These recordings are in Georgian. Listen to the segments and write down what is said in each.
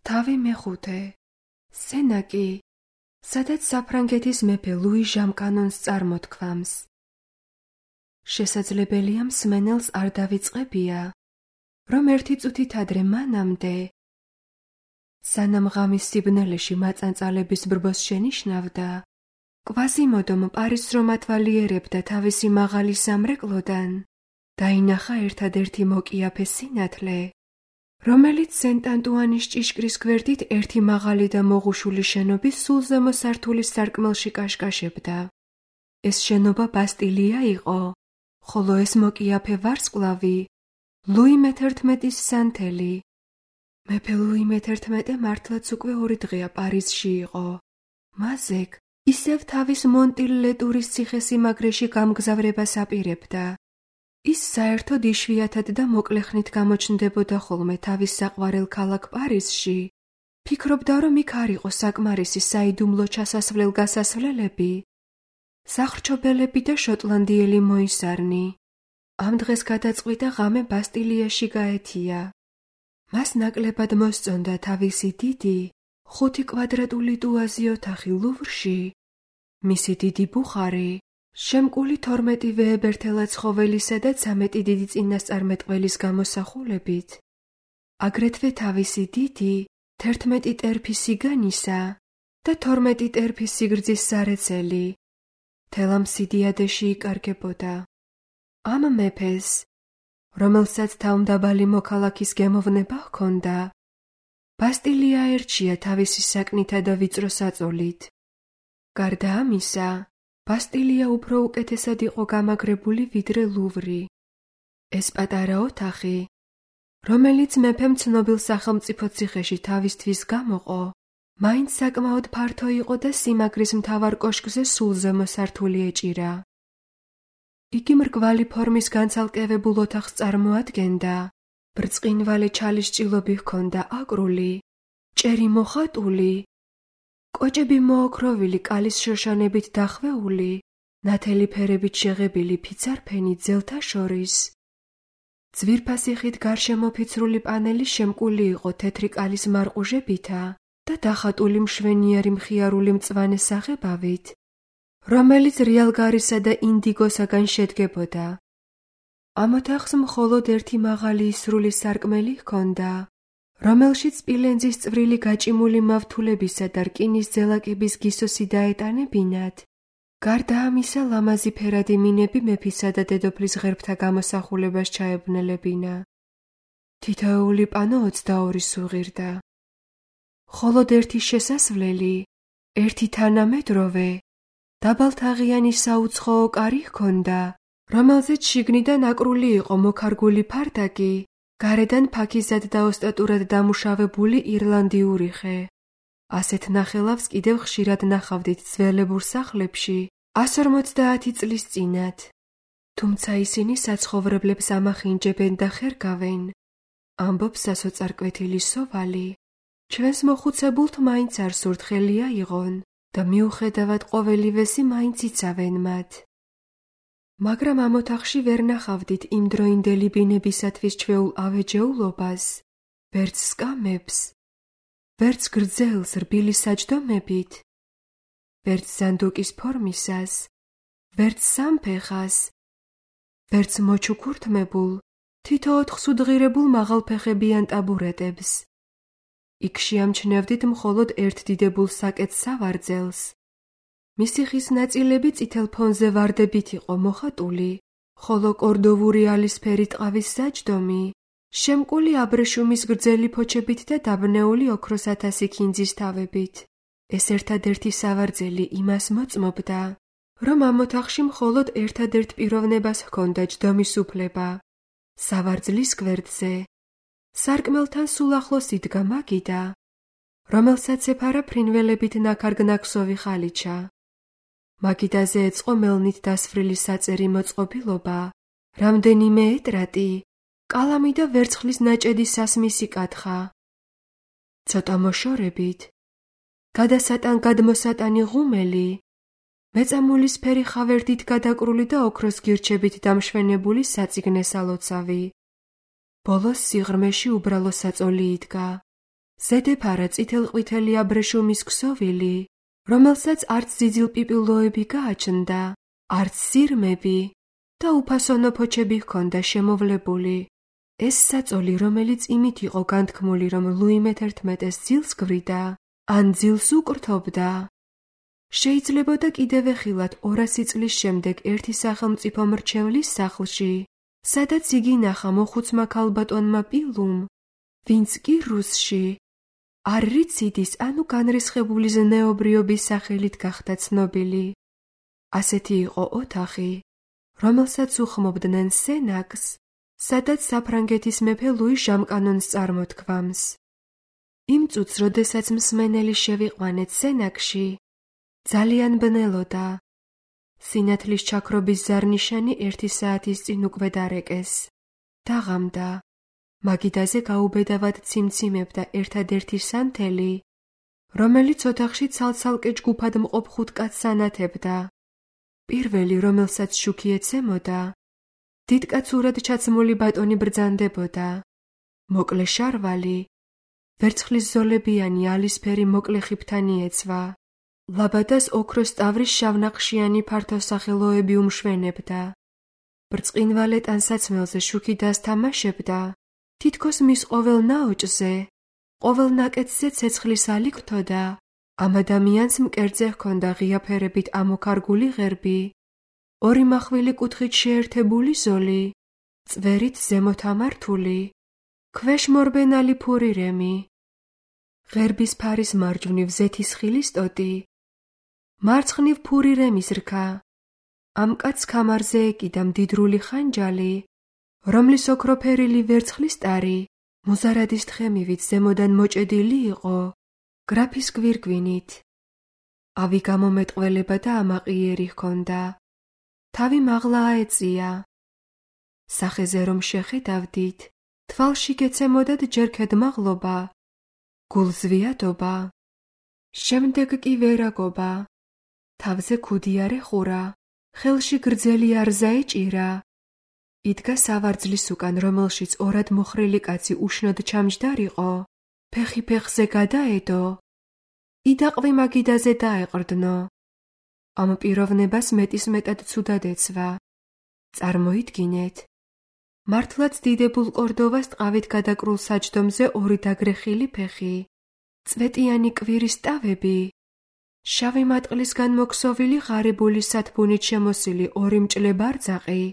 თავი მეხუთე. სენაკი, სადაც საფრანგეთის მეფე ლუი ჟამკანონს წარმოთქვამს. შესაძლებელია მსმენელს არ დავიწყებია, რომ ერთი წუთით ადრე მანამდე, სანამ ღამის სიბნელეში მაწანწალების ბრბოს შენიშნავდა, კვაზიმოდომ პარიზს რომ ათვალიერებდა თავისი მაღალი სამრეკლოდან, დაინახა ერთადერთი მოკიაფე სინათლე, რომელიც სენტ-ანტუანის ჭიშკრის გვერდით ერთი მაღალი და მოღუშული შენობის სულ ზემო სართულის სარკმელში კაშკაშებდა. ეს შენობა ბასტილია იყო, ხოლო ეს მოკიაფე ვარსკვლავი ლუი მე-11-ის სანთელი. მეფე ლუი მე-11 მართლაც უკვე 2 დღეა პარიზში იყო. მაზეკ ისევ თავის მონტილ-ლეტურის ციხესიმაგრეში გამგზავრებას აპირებდა. ის საერთოდ იშვიათად და მოკლეხნით გამოჩნდებოდა ხოლმე თავის საყვარელ ქალაქ პარიზში. ფიქრობდა, რომ იქ არ იყო საკმარისი საიდუმლო ჩასასვლელ-გასასვლელები, სახრჩობელები და შოტლანდიელი მოისარნი. ამ დღეს გადაწყვიტა ღამე ბასტილიაში გაეთია. მას ნაკლებად მოსწონდა თავისი დიდი, 5 კვადრატული ტუაზი ოთახი ლუვრში, მისი დიდი ბუხარი, შემკული 12 ვეებერთელა ცხოველისა და 13 დიდი წინასწარმეტყველის გამოსახულებით, აგრეთვე თავისი დიდი, 11 ტერფის სიგანისა და 12 ტერფის სიგრძის სარეცელი, თელა მსიდიადეში იკარგებოდა. ამ მეფეს, რომელსაც თავმდაბალი მოქალაქის გემოვნება ჰქონდა, ბასტილია ერჩია თავისი საკნითა და ვიწრო საწოლით. გარდა ამისა, ბასტილია უფრო უკეთესად იყო გამაგრებული ვიდრე ლუვრი. ეს პატარა ოთახი, რომელიც მეფემ ცნობილ სახელმწიფო ციხეში თავისთვის გამოყო, მაინც საკმაოდ ფართო იყო და სიმაგრის მთავარ კოშკზე სულ ზემო სართული ეჭირა. იგი მრგვალი ფორმის განცალკევებულ ოთახს წარმოადგენდა, ბრწყინვალე ჩალის ჭილობი ჰქონდა აკრული, ჭერი მოხატული, კოჭები მოოქროვილი კალის შოშანებით დახვეული, ნათელი ფერებით შეღებილი ფიცარფენი ძელთა შორის. ძვირფასი ხით გარშემოფიცრული პანელი შემკული იყო თეთრი კალის მარყუჟებითა და დახატული მშვენიერი მხიარული მწვანე საღებავით, რომელიც რიალგარისა და ინდიგოსაგან შედგებოდა. ამ ოთახს მხოლოდ ერთი მაღალი ისრული სარკმელი ჰქონდა, რომელშიც სპილენძის წვრილი გაჭიმული მავთულებისა და რკინის ძელაკების გისოსი დაეტანებინათ. გარდა ამისა, ლამაზი ფერადი მინები მეფისა და დედოფლის ღერბთა გამოსახულებას ჩაეբნელებინა. თითოეული პანო 22 სუღირდა. მხოლოდ ერთი შესასვლელი, ერთი თანამედროვე, დაბალთაღიანი საუცხოო კარი ჰქონდა, რომელზეც შიგნიდან აკრული იყო მოქარგული ფარდაკი, გარედან ფაქიზად და ოსტატურად დამუშავებული ირლანდიური ხე. ასეთ ნახელავს კიდევ ხშირად ნახავდით ძველებურ სახლებში 150 წლის წინათ. თუმცა ისინი საცხოვრებლებს ამახინჯებენ და ხერგავენ. ამბობს სასოწარკვეთილი სოვალი. ჩვენს მოხუცებულთ მაინც არ სურთ ხელი აიღონ და მიუხედავად ყოველივესი მაინც იცავენ მათ. მაგრამ ამ ოთახში ვერ ნახავდით იმდროინდელი ბინებისათვის ჩვეულ ავეჯეულობას, ვერც სკამებს, ვერც გრძელს რბილი საჯდომებით, ვერც ზანდუკის ფორმისას, ვერც სამფეხას, ვერც მოჩუქურთმებულ, თითო 4 სუდღირებულ მაღალფეხებიან ტაბურეტებს. იქ შეამჩნევდით მხოლოდ ერთ დიდებულ საკეთს სავარძელს. მისი ხის ნაწილები წითელ ფონზე ვარდებით იყო მოხატული, ხოლო კორდოვური ალისფერი ტყავის საჯდომი, შემკული აბრეშუმის გრძელი ფოჩებით და დაბნეული ოქროს 1000 ქინძის თავებით. ეს ერთადერთი სავარძელი იმას მოწმობდა, რომ ამ ოთახში მხოლოდ ერთადერთ პიროვნებას ჰქონდა ჯდომის უფლება. სავარძლის გვერდზე, სარკმელთან სულ ახლოს იდგა მაგიდა, რომელსაც ეფარა ფრინველებით ნაქარგ-ნაქსოვი ხალიჩა. მაგიდაზე ეწყო მელნით დასfrili საწერი მოწყობილობა, რამდენიმე ეტრატი, კალამი და ვერცხლის ნაჭედი სასმისი კათხა. ცოტა მოშორებით, გადმოსატანი ღუმელი, მეწამულისფერი ხავერდით გადაკრული და ოქროს გირჩებით დამშვენებული საწიგნე სალოცავი. ბოლოს სიღრმეში უბრალო საწოლი იდგა. ზედეფარა წითელ-ყვითელი აბრეშუმის ქსოვილი, რომელსაც არც ძიძილპიპილოები გააჩნდა, არც სირმები და უფასონო ფოჩები ჰქონდა შემოვლებული. ეს საწოლი, რომელიც იმით იყო განთქმული, რომ ლუი მე-11-ს ძილს გვრიდა, ან ძილს უკრთობდა. შეიძლებოდა კიდევ ეხილათ 200 წლის შემდეგ ერთი სახელმწიფო მრჩევლის სახლში, სადაც იგი ნახა მოხუცმა ქალბატონმა პილუმ, ვინც კი რუსში არრიციდის ანუ განრისხებული ზნეობრიობის სახელით გახდა ცნობილი. ასეთი იყო ოთახი, რომელსაც უხმობდნენ სენაკს, სადაც საფრანგეთის მეფე ლუი ჟამკანონს წარმოთქვამს. იმ წუთს, როდესაც მსმენელი შევიყვანეთ სენაკში, ძალიან ბნელოდა. სინათლის ჩაქრობის ზარნიშანი 1 საათის წინ უკვე დარეკეს. დაღამდა. მაგიდაზე გაუბედავად ციმციმებდა ერთადერთი სანთელი, რომელიც ოთახში ცალ-ცალკე ჯგუფად მყოფ 5 კაცს ანათებდა. პირველი, რომელსაც შუქი ეცემოდა, დიდკაცურად ჩაცმული ბატონი ბრძანდებოდა. მოკლე შარვალი, ვერცხლის ზოლებიანი ალისფერი მოკლე ხიფთანი ეცვა. ლაბადას ოქროს ტავრის შავნახშიანი ფართოსახელოები უმშვენებდა. ბრწყინვალე ტანსაცმელზე შუქი დასთამაშებდა. თითქოს მის ყოველ ნაოჭზე, ყოველ ნაკეთზე ცეცხლის ალი გრთოდა. ამ ადამიანს მკერდზე ჰქონდა ღიაფერებით ამოქარგული ღერბი, 2 მახვილი კუთხით შეერთებული ზოლი, წვერით ზემოთ ამართული, ქვეშ მორბენალი ფურირემი. ღერბის ფარის მარჯვნივ ზეთისხილის ტოტი, მარცხნივ ფურირემის რქა. ამ კაცს ქამარზე ეკიდა მდიდრული ხანჯალი, რომლის ოქროფერილი ვერცხლის ტარი მოზარადის თხემივით ზემოდან მოჭედილი იყო გრაფის გვირგვინით. ავი გამომეტყველება და ამაყიერი ჰქონდა. თავი მაღლა აეწია. სახეზე რომ შეხედავდით, თვალში გეცემოდათ ჯერ ქედმაღლობა, გულზვიადობა, შემდეგ კი ვერაგობა. თავზე ქუდი არ ეხურა, ხელში გრძელი არზა ეჭირა. იდგა სავარძლის უკან, რომელშიც 2 მოხრილი კაცი უშნოდ ჩამჯდარიყო, ფეხი ფეხზე გადაედო, იდაყვი მაგიდაზე დაეყრდნო. ამ პიროვნებას მეტისმეტად ცუდად ეცვა. წარმოიდგინეთ, მართლაც დიდებულ კორდოვას ტყავით გადაკრულ საჯდომზე 2 დაგრეხილი ფეხი, წვეტიანი კვირის ტავები, შავი მატყლისგან მოქსოვილი ღარიბული სათბუნით შემოსილი 2 მჭლე ბარძაყი,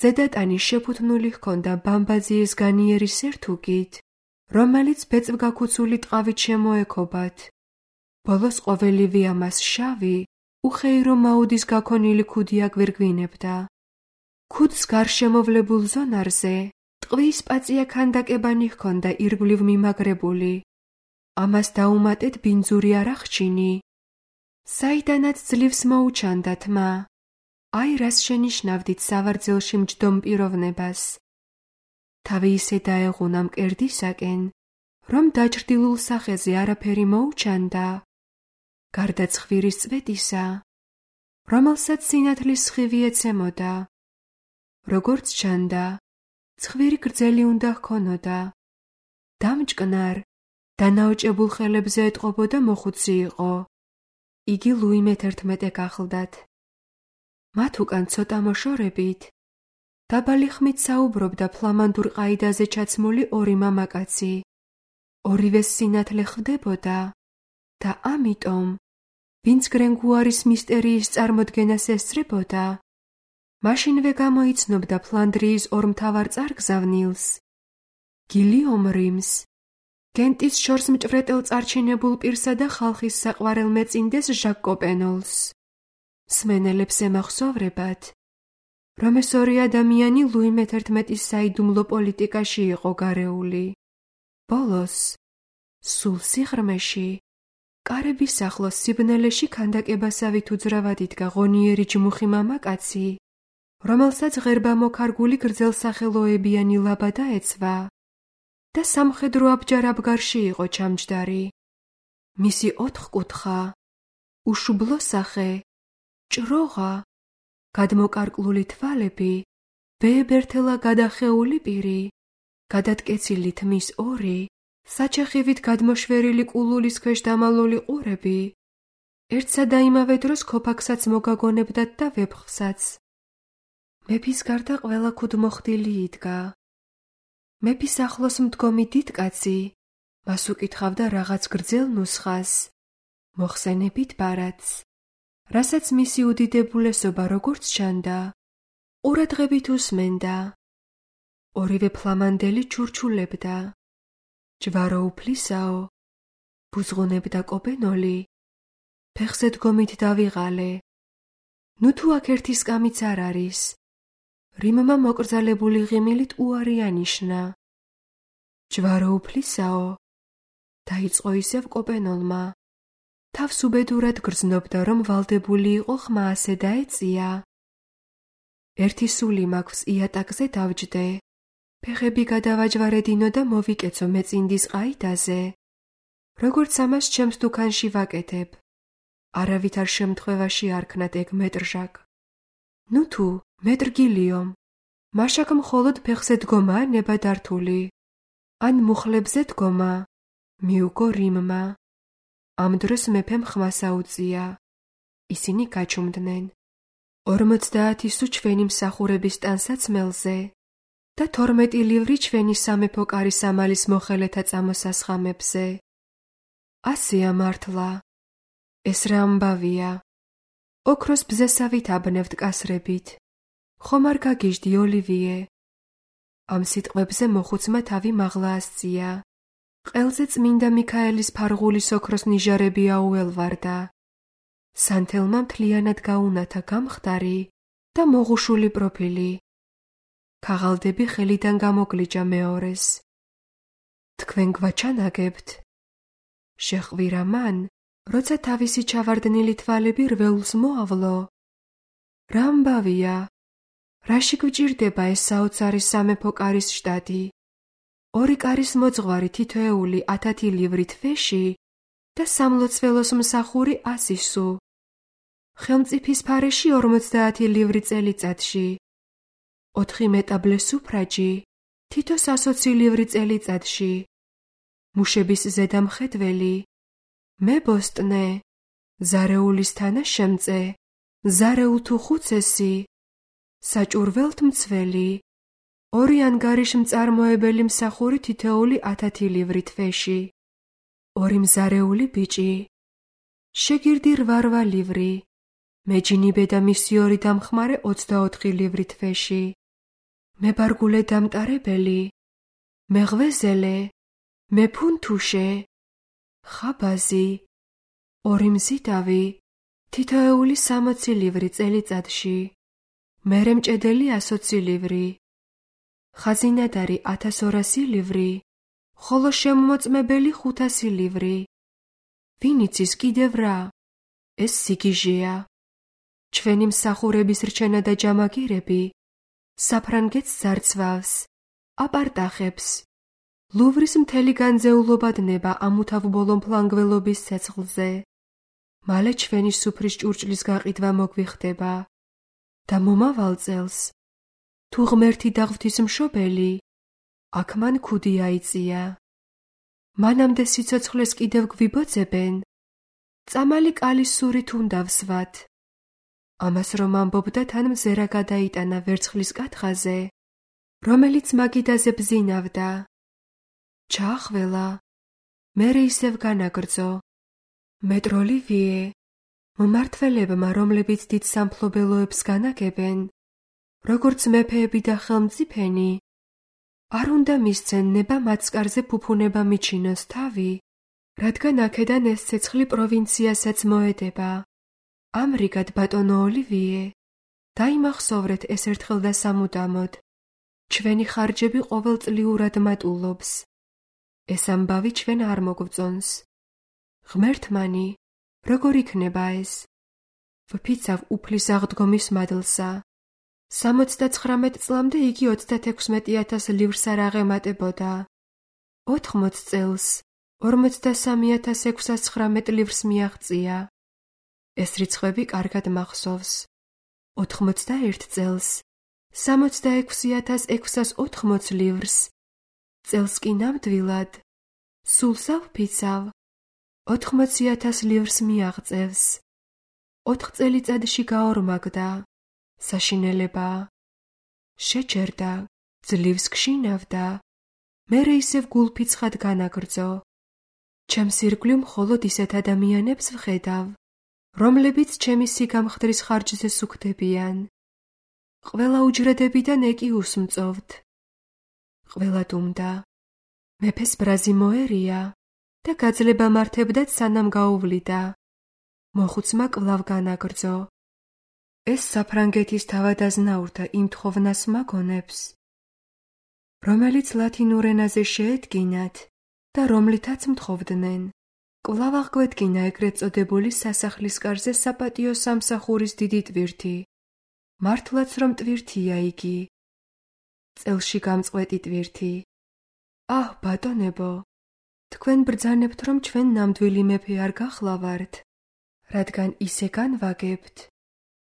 ზედატანი შეფუთნული ჰქონდა ბამბაზიის განიერი სერთუგით, რომელიც ბეწვგაქუცული ტყავით შემოექობათ. ბოლოს ყოველივე ამას შავი, უხეირო მაუდის გაქონილი ქუდი აგვირგვინებდა. ქუდს გარშემოვლებულ ზონარზე ტყვის პაწია ქანდაკებანი ჰქონდა ირგვლივ მიმაგრებული. ამას დაუმატეთ ბინძური არახჩინი, საიდანაც ძლივს მოუჩანდა თმა. აი რას შენიშნავდით სავარძელში მჯდომ პიროვნებას. თავი ისე დაეღუნა მკერდისაკენ, რომ დაჭრდილულ სახეზე არაფერი მოუჩანდა, გარდა ცხვირის წვეტისა, რომელსაც სინათლის სხივი ეცემოდა. როგორც ჩანდა, ცხვირი გრძელი უნდა ჰქონოდა. დამჭკნარ, დანაოჭებულ ხელებზე ეტყობოდა მოხუცი იყო. იგი ლუი მე-11 ახლდათ. მათ უკან ცოტა მოშორებით, დაბალი ხმით საუბრობდა ფლამანდურ ყაიდაზე ჩაცმული 2 მამაკაცი. ორივეს სინათლე ხვდებოდა და ამიტომ, ვინც გრენგუარის მისტერიის წარმოდგენას ესწრებოდა, მაშინვე გამოიცნობდა ფლანდრიის 2 მთავარ წარგზავნილს, გილიომ რიმს, გენტის შორს მჭვრეტელ წარჩინებულ პირსა და ხალხის საყვარელ მეწინდეს ჟაკ კოპენოლს. მსმენელებს ემახსოვრებათ, რომ ეს 2 ადამიანი ლუი მე-11-ის საიდუმლო პოლიტიკაში იყო გარეული. ბოლოს, სულ სიღრმეში, კარების ახლოს სიბნელეში ქანდაკებასავით უძრავად იდგა ღონიერი ჯმუხი მამაკაცი, რომელსაც ღერბა მოქარგული გრძელსახელოებიანი ლაბადა ეცვა და სამხედრო აბჯარ-აბგარში იყო ჩამჯდარი. მისი 4 კუთხა, უშუბლო სახე, ჭროღა, გადმოკარკლული თვალები, ბეებერთელა გადახეული პირი, გადატკეცილი თმის 2, საჩეხივით გადმოშვერილი კულულის ქვეშ დამალული ყურები ერთსა და იმავე დროს ქოფაქსაც მოგაგონებდათ და ვეფხვსაც. მეფის გარდა ყველა ქუდმოხდილი იდგა. მეფის ახლოს მდგომი დიდკაცი მას უკითხავდა რაღაც გრძელ ნუსხას, მოხსენებით ბარათს, რასაც მისი უდიდებულესობა როგორც ჩანდა, ყურადღებით უსმენდა. ორივე ფლამანდელი ჩურჩულებდა. ჯვარო უფლისაო, ბუზღუნებდა კოპენოლი. ფეხზე დგომით დავიღალე. ნუ თუ აქ ერთი სკამიც არ არის. რიმმა მოკრძალებული ღიმილით უარი ანიშნა. ჯვარო უფლისაო, დაიწყო ისევ კოპენოლმა. თავს უბედურად გრძნობდა, რომ ვალდებული იყო ხმა ასე დაეწია. ერთი სული მაქვს იატაკზე დავჯდე. ფეხები გადავაჯვარედინო და მოვიკეცო მეწინდის ყაიდაზე. როგორც ამას ჩემს დუქანში ვაკეთებ. არავითარ შემთხვევაში არ ქნათ ეგ მეტრჟაკ. ნუ თუ მეტრგილიომ, მაშაკ მხოლოდ ფეხზე დგომა ნებადართული. ან მუხლებზე დგომა, მიუგო რიმმა. ამ დროს მეფემ ხმას აუწია. ისინი გაჩუმდნენ. 50 სუ ჩვენი მსახურების ტანსაცმელზე და 12 ლივრი ჩვენი სამეფო კარის ამალის მოხელეთა წამოსასხამებზე. ასეა მართლა. ეს რა ამბავია. ოქროს ბზესავით აბნევთ კასრებით. ხომ არ გაგიჟდი ოლივიე? ამ სიტყვებზე მოხუცმა თავი მაღლა ასწია. ყელზე წმინდა მიქაელის ფარღულის ოქროს ნიჟარები აუელვარდა. სანთელმა მთლიანად გაუნათა გამხდარი და მოღუშული პროფილი. ქაღალდები ხელიდან გამოგლიჯა მეორეს. თქვენ გვაჩანაგებთ? შეხვირა მან, როცა თავისი ჩავარდნილი თვალები რველს მოავლო. რა ამბავია? რაში გვჭირდება ეს საოცარი სამეფო კარის შტატი? 2 კარის მოძღვარი თითოეული 10 ლივრი თვეში და სამლოცველოს მსახური 100 სუ. ხელმწიფის ფარეში 50 ლივრი წელიწადში. 4 მეტაბლე სუფრაჯი თითო 120 ლივრი წელიწადში. მუშების ზედამხედველი, მე ბოსტნე, ზარეულის თანაშემწე, ზარეულ თუ ხუცესი, საჭურველთ მცველი, 2 ანგარიშ მწარმოებელი მსახური თითოეული 10 ლივრი თვეში. 2 მზარეული ბიჭი, შეგირდი 8 ლივრი, მეჯინიბე და მისი 2 დამხმარე 24 ლივრი თვეში. მებარგულე დამტარებელი, მეღვეზელე, მეფუნთუშე, ხაბაზი, 2 მზიდავი, თითოეული 60 ლივრი წელიწადში. მერე მჭედელი 120 ლივრი. ხაზინადარი 1200 ლივრი, ხოლო შემოწმებელი 500 ლივრი. ვინ იცის კიდევ რა? ეს სიგიჟეა. ჩვენი მსახურების რჩენა და ჯამაგირები საფრანგეთს ზარცვავს, აპარტახებს. ლუვრის მთელი განძეულობა დნება ამუთავბოლო მფლანგველობის ცეცხლზე. მალე ჩვენი სუფრის ჭურჭლის გაყიდვა მოგვიხდება და მომავალ წელს, თუ ღმერთი და ღვთისმშობელი, აქ მან ქუდი აიწია. მანამდე სიცოცხლეს კიდევ გვიბოძებენ, წამალი კალის სურით უნდა ვსვათ. ამას რომ ამბობდა, თან მზერა გადაიტანა ვერცხლის კათხაზე, რომელიც მაგიდაზე ბზინავდა. ჩაახველა, მერე ისევ განაგრძო. მეტროლივიე, მმართველებმა, რომლებიც დიდ სამფლობელოებს განაგებენ, როგორც მეფეები და ხელმწიფენი, არ უნდა მისცენ ნება მაცკარზე ფუფუნება მიჩინოს თავი, რადგან აქედან ეს ცეცხლი პროვინციასაც მოედება. ამრიგად, ბატონო ოლივიე, დაიმახსოვრეთ ეს ერთხელ და სამუდამოდ. ჩვენი ხარჯები ყოველწლიურად მატულობს. ეს ამბავი ჩვენ არ მოგვწონს. ღმერთმანი, როგორ იქნება ეს? ვფიცავ უფლის აღდგომის მადლსა. 79 წლამდე იგი 36,000 ლივრს არ აღემატებოდა. 80 წელს 43,619 ლივრს მიაღწია. ეს რიცხვები კარგად მახსოვს. 81 წელს 66,680 ლივრს, წელს კი ნამდვილად სულსა ვფიცავ, 80,000 livrს მიაღწევს. 4 წელიწადში გაორმაგდა, საშინელება. შეჭერდა, ძლივს გშინავდა, მერე ისევ გულფიცხად განაგრძო. ჩემს ირგვლივ მხოლოდ ისეთ ადამიანებს ვხედავ, რომლებიც ჩემი სიგამხდრის ხარჯზე სუქდებიან. ყველა უჯრედებიდან ეკი უსმწოვთ. ყველა დუმდა. მეფეს ბრაზი მოერია და გაძლება მართებდათ სანამ გაუვლიდა. მოხუცმა კვლავ განაგრძო. ეს საფრანგეთის თავადაზნაურთა იმ თხოვნას მაგონებს, რომელიც ლათინურ ენაზე შეედგინათ და რომლითაც მთხოვდნენ. კვლავ აღგვედგინა ეგრეთ წოდებული სასახლის კარზე საპატიო სამსახურის დიდი ტვირთი. მართლაც რომ ტვირთია იგი. წელში გამწყვეტი ტვირთი. აჰ, ბატონებო, თქვენ ბრძანებთ, რომ ჩვენ ნამდვილი მეფე არ გახლავართ, რადგან ისე განვაგებთ.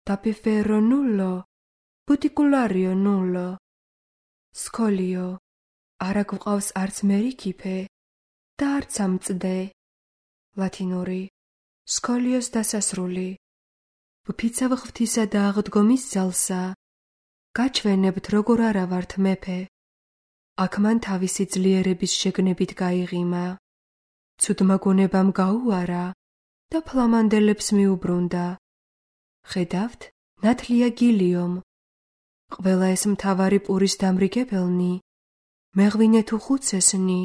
დაფიფერო ნულო, ბუტიკულარიო ნულო. სკოლიო, არა გვყავს არც მერიქიფე და არც ამწდე. ლათინური, სკოლიოს დასასრული. ვფიცავ ღვთისა და აღდგომის ძალსა. გაჩვენებთ, როგორ არა ვართ მეფე. აქ მან თავისი ძლიერების შეგნებით გაიღიმა. ცუდმა გონებამ გაუარა და ფლამანდელებს მიუბრუნდა. ხედავთ, ნათლია გილიომ. ყველა ეს მთავარი პურის დამრიგებელნი, მეღვინე თუ ხუცესნი,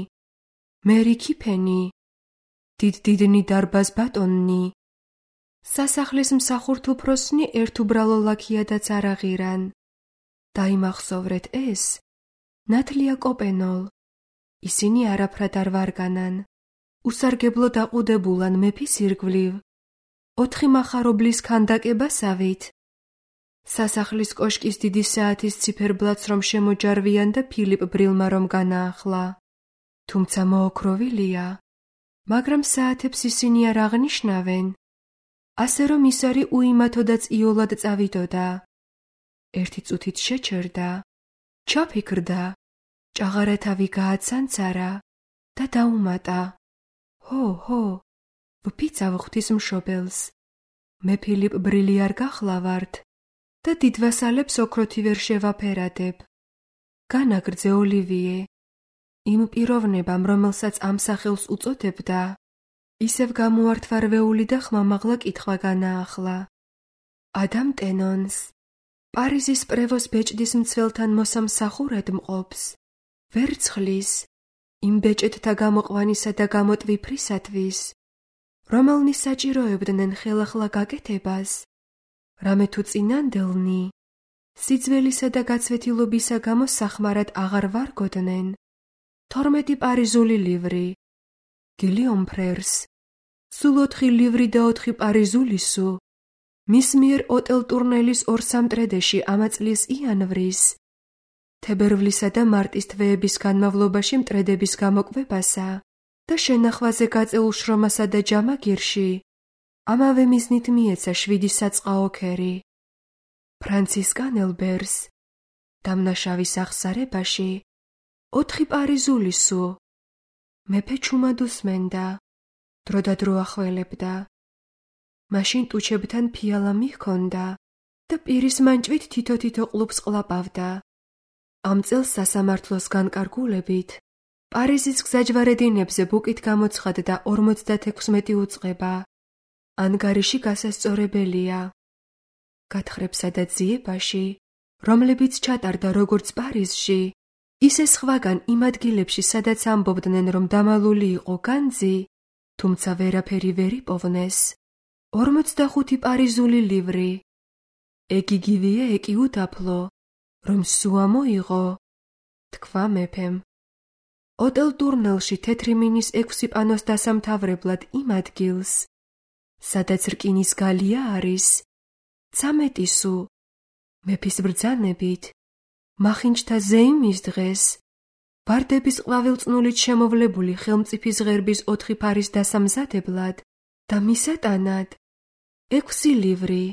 მერიქიფენი, დიდდიდნი დარბაზ ბატონნი. სასახლის მსახურთ უფროსნი ერთ უბრალო ლაქიადაც არ აღირან. დაიმახსოვრეთ ეს, ნათლია კოპენოლ. ისინი არაფრად არ ვარგანან. უსარგებლო დაყუდებულან მეფის ირგვლივ. 4 მახარობლის ქანდაკებასავით. სასახლის კოშკის დიდი საათის ციფერბლათს რომ შემოჯარვიან და ფილიპ ბრილმა რომ განაახლა. თუმცა მოოქროვილია, მაგრამ საათებს ისინი არ აღნიშნავენ. ასე რომ ის არის უიმათოდაც იოლად წავიდოდა. ერთი წუთით შეჩერდა, ჩაფიქრდა, ჭაღარათავი გააცანცარა და დაუმატა. ჰო, ვფიცავ ღვთის მშობელს. მე ფილიპ ბრილი არ გახლავართ და დიდვასალებს ოქროთი ვერ შევაფერადებ. განაგრძე ოლივიე. იმ პიროვნებამ, რომელსაც ამ სახელს უწოდებდა, ისევ გამოართვარვეული და ხმამაღლა კითხვა განაახლა. ადამ ტენონს, პარიზის პრევოს ბეჭდის მცველთან მოსამსახურედ მყოფს, ვერცხლის, იმ ბეჭედთა გამოყვანისა და გამოტვიფრისათვის, რომელნი საჭიროებდნენ ხელახლა გაკეთებას, რამე თუ წინანდელნი, სიძველისა და გაცვეთილობისა გამო სახმარად აღარ ვარგოდნენ. 12 პარიზული ლივრი. გილიომ ფრერს. სულ 4 ლივრი და 4 პარიზული სუ. მის მიერ ოტელ ტურნელის 2-3 მტრედეში ამა წლის იანვრის, თებერვლისა და მარტის თვეების განმავლობაში მტრედების გამოკვებასა და შენახვაზე გაწეულ შრომასა და ჯამაგირში, ამავე მიზნით მიეცა 7 საწყაო ქერი. ფრანცისკან ელბერს, დამნაშავის აღსარებაში, 4 პარიზული სუ. მეფე ჩუმად უსმენდა, დროდადრო ახველებდა. მაშინ ტუჩებთან ფიალა მიჰქონდა და პირის მანჭვით თითო-თითო ყლუპს ყლაპავდა. ამ წელს სასამართლოს განკარგულებით, პარიზის გზაჯვარედინებზე ბუკით გამოცხადდა 56 უწყება. ანგარიში გასასწორებელია. გათხრებსა და ძიებაში, რომლებიც ჩატარდა როგორც პარიზში, ისე სხვაგან იმ ადგილებში, სადაც ამბობდნენ, რომ დამალული იყო განძი, თუმცა ვერაფერი ვერ იპოვნეს. 45 პარიზული ლივრი. ეგიგივია ეკი უდაფლო, რომ სუა მოიღო, თქვა მეფემ. ოტელ ტურნელში თეთრი მინის 6 პანოს დასამთავრებლად იმ ადგილს, სადაც რკინის გალია არის, 13 სუ. მეფის ბრძანებით, მახინჯთა ზეიმის დღეს, ბარდების ყვავილწნულით შემოვლებული ხელმწიფის ღერბის 4 ფარის დასამზადებლად და მისატანად 6 ლივრი.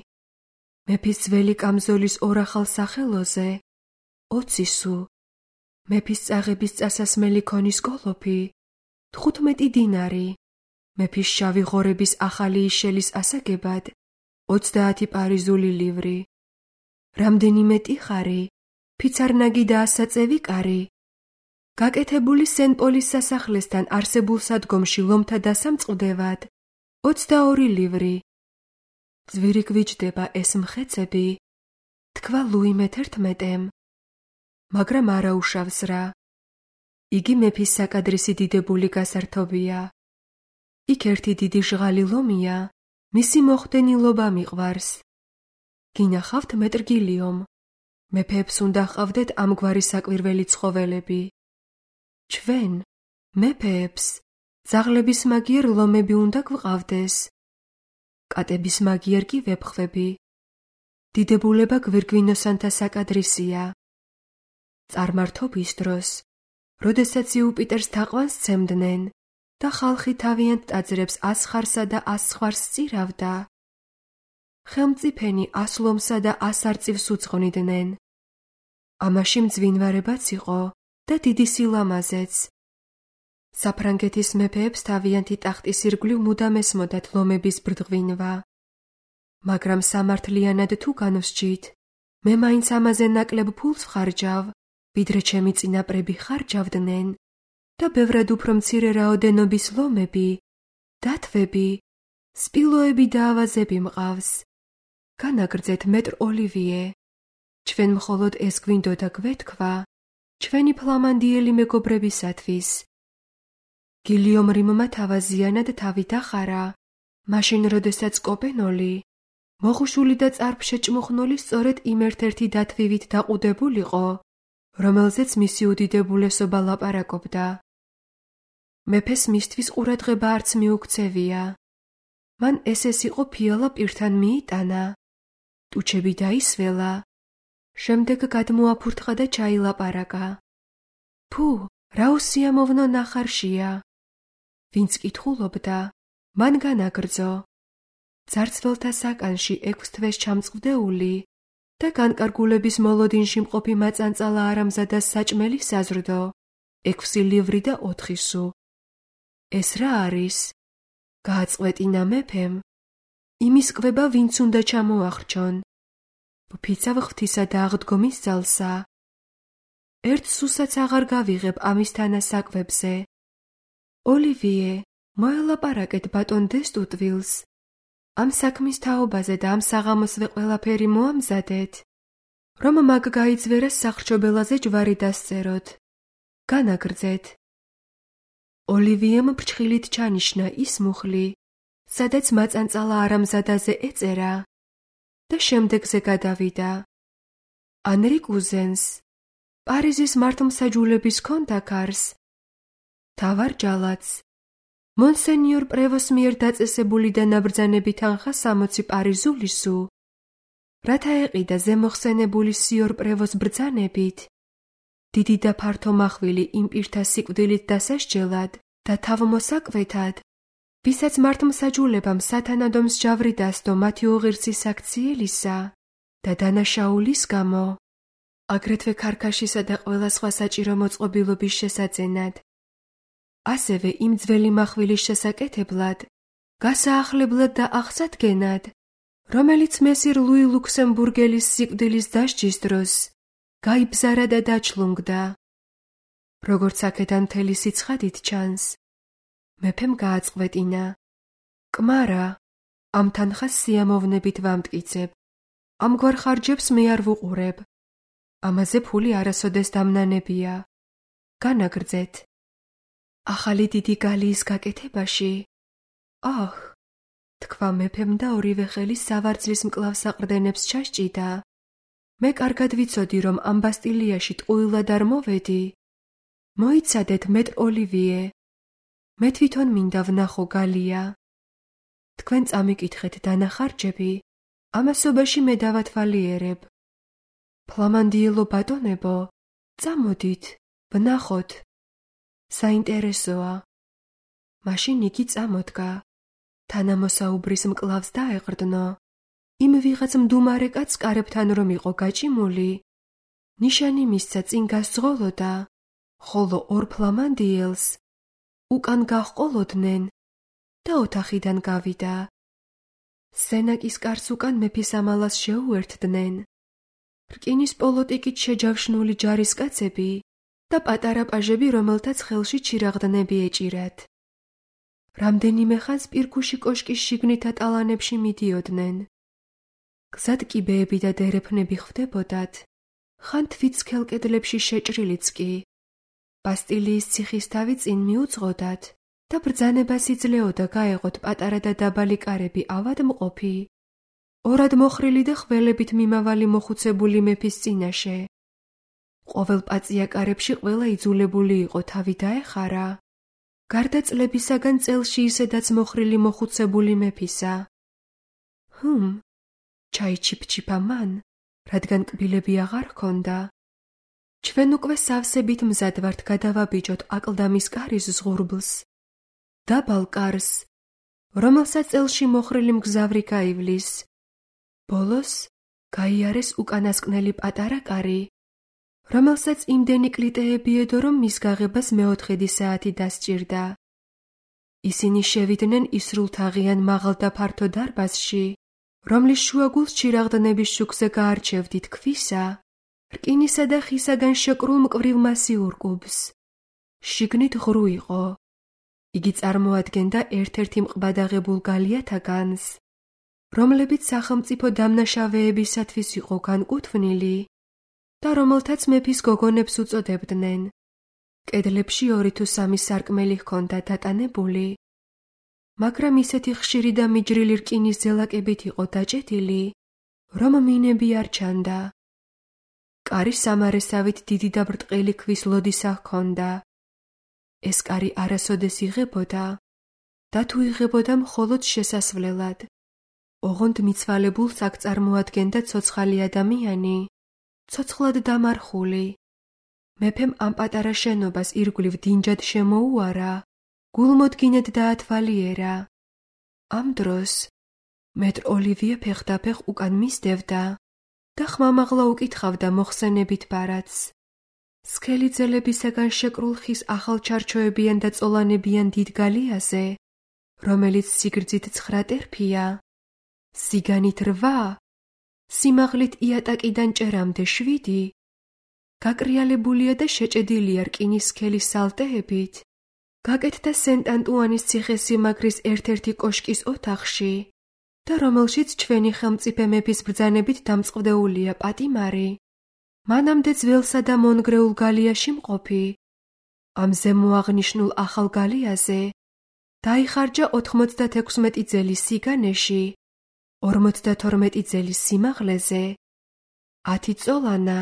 მეფის ძველი კამზოლის ორახალ სახელოზე 20 სუ. მეფის წაღების წასასმელი ქონის კოლოფი 15 დინარი, მეფის შავი ღორების ახალი იშელის ასაგებად 30 პარიზული ლივრი, რამდენიმე ტიხარი, ფიცარნაგი და ასაწევი კარი, გაკეთებული სენ-პოლის სასახლესთან არსებულ სადგომში ლომთა დასამწყვდევად 22 ლივრი. ძვირი გვიჯდება ეს მხეცები, თქვა ლუი მე-11-მ, მაგრამ არა უშავს რა. იგი მეფის საკადრისი დიდებული გასართობია. იქ ერთი დიდი ჟღალი ლომია, მისი მოხდენილობა მიყვარს. გინახავთ მეტრგილიომ, მეფეებს უნდა ჰყავდეთ ამგვარი საკვირველი ცხოველები. ჩვენ, მეფეებს, ძაღლების მაგიერ ლომები უნდა გვყავდეს. კატების მაგიერ კი ვეფხვები. დიდებულება გვირგვინოსანთა საკადრისია. წარმართობის დროს, როდესაც იუპიტერს თაყვანს ცემდნენ და ხალხი თავიანთ ტაძრებს 100 ხარსა და 100 ზღვარს სწირავდა, ხელმწიფენი 100 ლომსა და 100 არწივს უძღვნიდნენ. ამაში მძვინვარებაც იყო და დიდი სილამაზეც. საფრანგეთის მეფეებს თავიანთი ტახტის ირგვლივ მუდამ ესმოდათ ლომების ბრდღვინვა. მაგრამ სამართლიანად თუ განვსჯით, მე მაინც ამაზე ნაკლებ ფულს ვხარჯავ, ვიდრე ჩემი წინაპრები ხარჯავდნენ და ბევრად უფრო მცირე რაოდენობის ლომები, დათვები, სპილოები და ავაზები მყავს. განაგრძეთ მეტრ ოლივიე. ჩვენ მხოლოდ ეს გვინდოდა გვეთქვა, ჩვენი ფლამანდიელი მეგობრებისათვის. გილიომ რიმმა თავაზიანად თავი დახარა, მაშინ როდესაც კოპენოლი, მოხუშული და წარფშეჭმუხნული სწორედ იმ ერთ-ერთი დათვივით დაყუდებულიყო, რომელზეც მისი უდიდებულესობა ლაპარაკობდა. მეფეს მისთვის ყურადღება არც მიუქცევია. მან ეს იყო ფიალა პირთან მიიტანა, ტუჩები დაისველა, შემდეგ გადმოაფურთხა და ჩაილაპარაკა. ფუ, რა უსიამოვნო ნახარშია. ვინც კითხულობდა, მან განაგრძო. ძარცველთა საკანში 6 თვეს ჩამწყვდეული და განკარგულების მოლოდინში მყოფი მაწანწალა არამზადას საჭმელი საზრდო 6 ლივრი და 4 სუ. ეს რა არის? გააწყვეტინა მეფემ. იმის კვება ვინც უნდა ჩამოახრჩონ. ფიცა ღვთისა და აღდგომის ძალსა. 1 სუსაც აღარ გავიღებ ამის თანასაკვებზე. ოლივიე, მოელაპარაკეთ ბატონ დესტუტვილს. ამ საქმის თაობაზე და ამ საღამოსვე ყველაფერი მოამზადეთ, რომ მაგ გაიძვერას სახრჩობელაზე ჯვარი დასწეროთ. განაგრძეთ. ოლივიემ ფრჩხილით ჩანიშნა ის მუხლი, სადაც მაწანწალა არამზადაზე ეწერა და შემდეგზე გადავიდა. ანრი კუზენს, პარიზის მართლმსაჯულების კონტაკარს, თავარ ჯალათს, მონსენიორ პრევოს მიერ დაწესებული და ნაბრძანები თანხა 60 პარიზული სუ, რათა ეყიდა ზემოხსენებული სიორ პრევოს ბრძანებით, დიდი და ფართო მახვილი იმ პირთა სიკვდილით დასასჯელად და თავმოსაკვეთად, ვისაც მართლმსაჯულებამ სათანადო მსჯავრი დასდო მათი უღირსის აქციელისა და დანაშაულის გამო, აგრეთვე ქარქაშისა და ყველა სხვა საჭირო მოწყობილობის შესაძენად. ასევე იმ ძველი მახვილის შესაკეთებლად, გასაახლებლად და აღსადგენად, რომელიც მესირ ლუი ლუქსემბურგელის სიკვდილის დასჯის დროს გაიბზარა და დაჩლუნგდა. როგორც აქედან მთელი სიცხადით ჩანს, მეფემ გააწყვეტინა. კმარა, ამ თანხას სიამოვნებით ვამტკიცებ. ამგვარ ხარჯებს მე არ ვუყურებ. ამაზე ფული არასოდეს დამნანებია. განაგრძეთ. ახალი დიდი გალიის გაკეთებაში? აჰ, თქვა მეფემ და ორივე ხელი სავარძლის მკლავს საყრდენებს ჩასჭიდა. მე კარგად ვიცოდი, რომ ამ ბასტილიაში ტყუილად არ მოვედი. მოიცადეთ მეტრ ოლივიე. მე თვითონ მინდა ვნახო გალია. თქვენ წამიკითხეთ დანახარჯები, ამასობაში მე დავათვალიერებ. ფლამანდიელო ბატონებო, წამოდით, ვნახოთ. საინტერესოა. მაშინ იგი წამოდგა. თანამოსაუბრის მკლავს დაეყრდნო. იმ ვიღაც მდუმარე კაცს კარებთან რომ იყო გაჭიმული, ნიშანი მისცა წინ გასძღოლოდა, ხოლო ორ ფლამანდიელს უკან გაჰყოლოდნენ და ოთახიდან გავიდა. სენაკის კარს უკან მეფის ამალას შეუერთდნენ. რკინის პოლოტიკით შეჯავშნული ჯარისკაცები და პატარა პაჟები, რომელთაც ხელში ჩირაღდნები ეჭირათ. რამდენიმე ხანს პირქუში კოშკის შიგნით ატალანებში მიდიოდნენ. გზად კიბეები და დერეფნები ხვდებოდათ, ხან თვით სქელ კედლებში შეჭრილიც კი. ბასტილიის ციხის თავი წინ მიუძღოდათ და ბრძანებას იძლეოდა გაეღოთ პატარა და დაბალი კარები ავადმყოფი, ორად მოხრილი და ხველებით მიმავალი მოხუცებული მეფის წინაშე. ყოველ პაწია კარებში ყველა იძულებული იყო თავი დაეხარა, გარდა წლებისაგან წელში ისედაც მოხრილი მოხუცებული მეფისა. ჩაიჩიფჩიფა მან, რადგან კბილები აღარ ჰქონდა. ჩვენ უკვე სავსებით მზად ვართ გადავაბიჯოთ აკლდამის კარის ზღურბლს, დაბალ კარს, რომელსაც წელში მოხრილი მგზავრი გაივლის. ბოლოს გაიარეს უკანასკნელი პატარა კარი, რომელსაც იმდენი კლიტეები ედო, რომ მის გაღებას მეოთხედი საათი დასჭირდა. ისინი შევიდნენ ისრულთაღიან მაღალ და ფართო დარბაზში, რომლის შუაგულს ჩირაღდნების შუქზე გაარჩევდით ქვისა, რკინისა და ხისაგან შეკრულ მკვრივ მასიურ კუბს. შიგნით ღრუ იყო. იგი წარმოადგენდა ერთ-ერთი მყბადაღებულ გალიათაგანს, რომლებიც სახელმწიფო დამნაშავეებისათვის იყო განკუთვნილი და რომელთაც მეფის გოგონებს უწოდებდნენ. კედლებში 2 თუ 3 სარკმელი ჰქონდა დატანებული, მაგრამ ისეთი ხშირი და მიჯრილი რკინის ზელაკებით იყო დაჭედილი, რომ მინები არ ჩანდა. კარი სამარესავით დიდი და ბრტყელი ქვის ლოდისა ჰქონდა. ეს კარი არასოდეს იღებოდა და თუ იღებოდა მხოლოდ შესასვლელად. ოღონდ მიცვალებულს აქ წარმოადგენდა ცოცხალი ადამიანი, ცოცხლად დამარხული. მეფემ ამ პატარა შენობას ირგვლივ დინჯად შემოუარა, გულმოდგინედ დაათვალიერა. ამ დროს მეტრ ოლივიე ფეხდაფეხ უკან მისდევდა და ხმამაღლა უკითხავდა მოხსენებით ბარათს. სქელი ძელებისაგან შეკრულ ხის ახალჩარჩოებიან და წოლანებიან დიდ გალიაზე, რომელიც სიგრძით 9 ტერფია, სიგანით 8, სიმაღლით იატაკიდან ჭერამდე 7, გაკრიალებულია და შეჭედილია რკინის სქელის სალტეებით, გაკეთდა სენტ-ანტუანის ციხესიმაგრის ერთ-ერთი კოშკის ოთახში და რომელშიც ჩვენი ხელმწიფე მეფის ბრძანებით დამწყდეულია პატიმარი, მანამდე ძველსა და მონგრეულ გალიაში მყოფი. ამ ზემოაღნიშნულ ახალ გალიაზე დაიხარჯა 96 ძელის სიგანეში, 52 ძელის სიმაღლეზე, 10 წოლანა,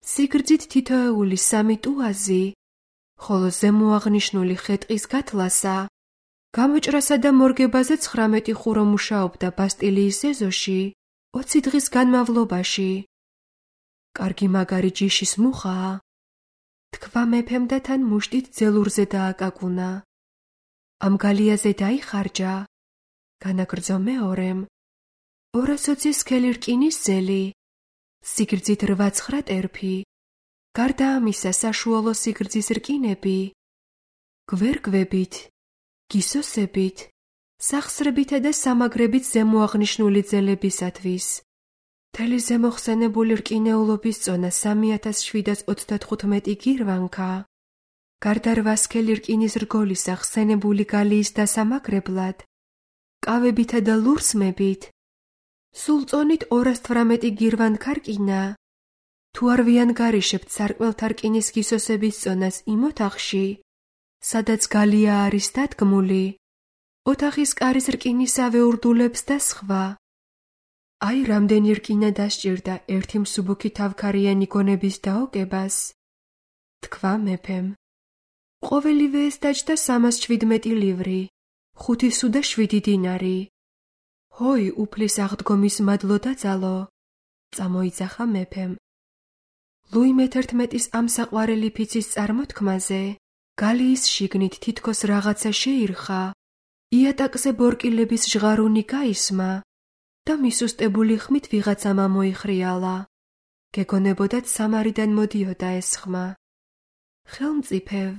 სიგრძით თითოეული 3 ტუაზი, ხოლო ზემოაღნიშნული ხე-ტყის გათლასა, გამოჭრასა და მორგებაზე 19 ხურო მუშაობდა ბასტილიის ეზოში 20 დღის განმავლობაში. კარგი მაგარი ჯიშის მუხაა, თქვა მეფემ და თან მუშტით ძელურზე დააკაკუნა. ამ გალიაზე დაიხარჯა, განაგრძო მეორემ, 220 სქელი რკინის ძელი, სიგრძით 8-9 ტერფი, გარდა ამისა საშუალო სიგრძის რკინები, გვერგვებით, გისოსებით, სახსრებითა და სამაგრებით ზემოაღნიშნული ძელებისათვის. მთელი ზემოხსენებული რკინეულობის წონა 3735 გირვანკა, გარდა 8 სქელი რკინის რგოლისა ხსენებული გალიის დასამაგრებლად, კავებითა და ლურსმებით, სულ წონით 218 გირვანკა რკინა. თუ არ ვიანგარიშებთ სარკმელთა რკინის გისოსების წონას იმ ოთახში, სადაც გალია არის დადგმული, ოთახის კარის რკინისავე ურდულებს და სხვა. აი რამდენი რკინა დასჭირდა ერთი მსუბუქი თავქარიანი გონების დაოკებას, თქვა მეფემ. ყოველივე ეს დაჯდა 317 ლივრი, 5 სუ და 7 დინარი. ჰოი, უფლის აღდგომის მადლო დაძალო, წამოიძახა მეფემ. ლუი მე-11-ის ამ საყვარელი ფიცის წარმოთქმაზე გალიის შიგნით თითქოს რაღაცა შეირხა, იატაკზე ბორკილების ჟღარუნი გაისმა და მისუსტებული ხმით ვიღაცამ ამოიხრიალა. გეგონებოდათ სამარიდან მოდიოდა ეს ხმა. ხელმწიფევ,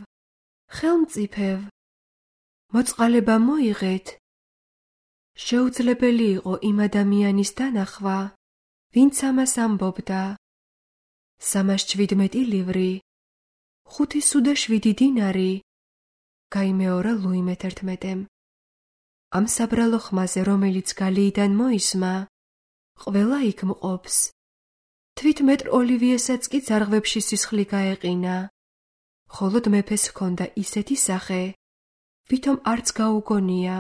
მოწყალება მოიღეთ. შეუძლებელი იყო იმ ადამიანის დანახვა, ვინც ამას ამბობდა. 317 ლივრი, 5 სუ და 7 დინარი, გაიმეორა ლუი მე-11-მ. ამ საბრალო ხმაზე, რომელიც გალიიდან მოისმა, ყველა იქ მყოფს. თვით მეტრ ოლივიესაც კი ძარღვებში სისხლი გაეყინა. ხოლოდ მეფეს ჰქონდა ისეთი სახე, ვითომ არც გაუგონია.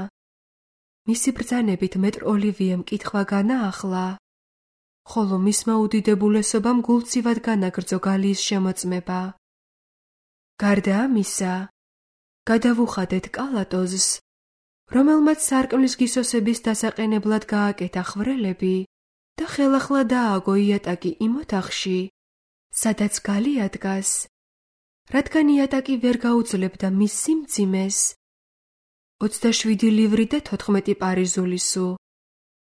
მისი ბრძანებით მეტრ ოლივიემ კითხვა განაახლა, ხოლო მისმა უდიდებულესობამ გულწივად განაგრძო გალიის შემოწმება. გარდა ამისა, გადავუხადეთ კალატოზს, რომელმაც სარკმლის გისოსების დასაყენებლად გააკეთა ხვრელები და ხელახლა დააგო იატაკი იმ ოთახში, სადაც გალია დგას, რადგან იატაკი ვერ გაუძლებდა მის სიმძიმეს. 27 ლივრი და 14 პარიზული სუ.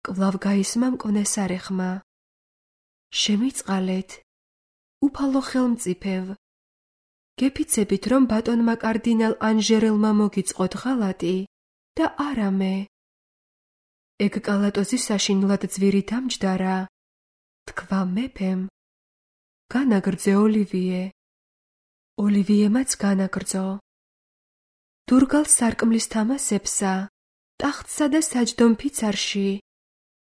კვლავ გაისმა მკვნეს არეხმა. შემიწყალეთ, უფალო ხელმწიფევ. გეფიცებით, რომ ბატონმა კარდინალ ანჟერელმა მოგიწყოთ ღალატი და არა მე. ეგ კალატოზი საშინლად ძვირი დამჯდარა. თქვა მეფემ. განაგრძე ოლივიე. ოლივიემაც განაგრძო. დურგალ სარკმლის თამასებსა, ტახტსა და საჯდომ ფიცარში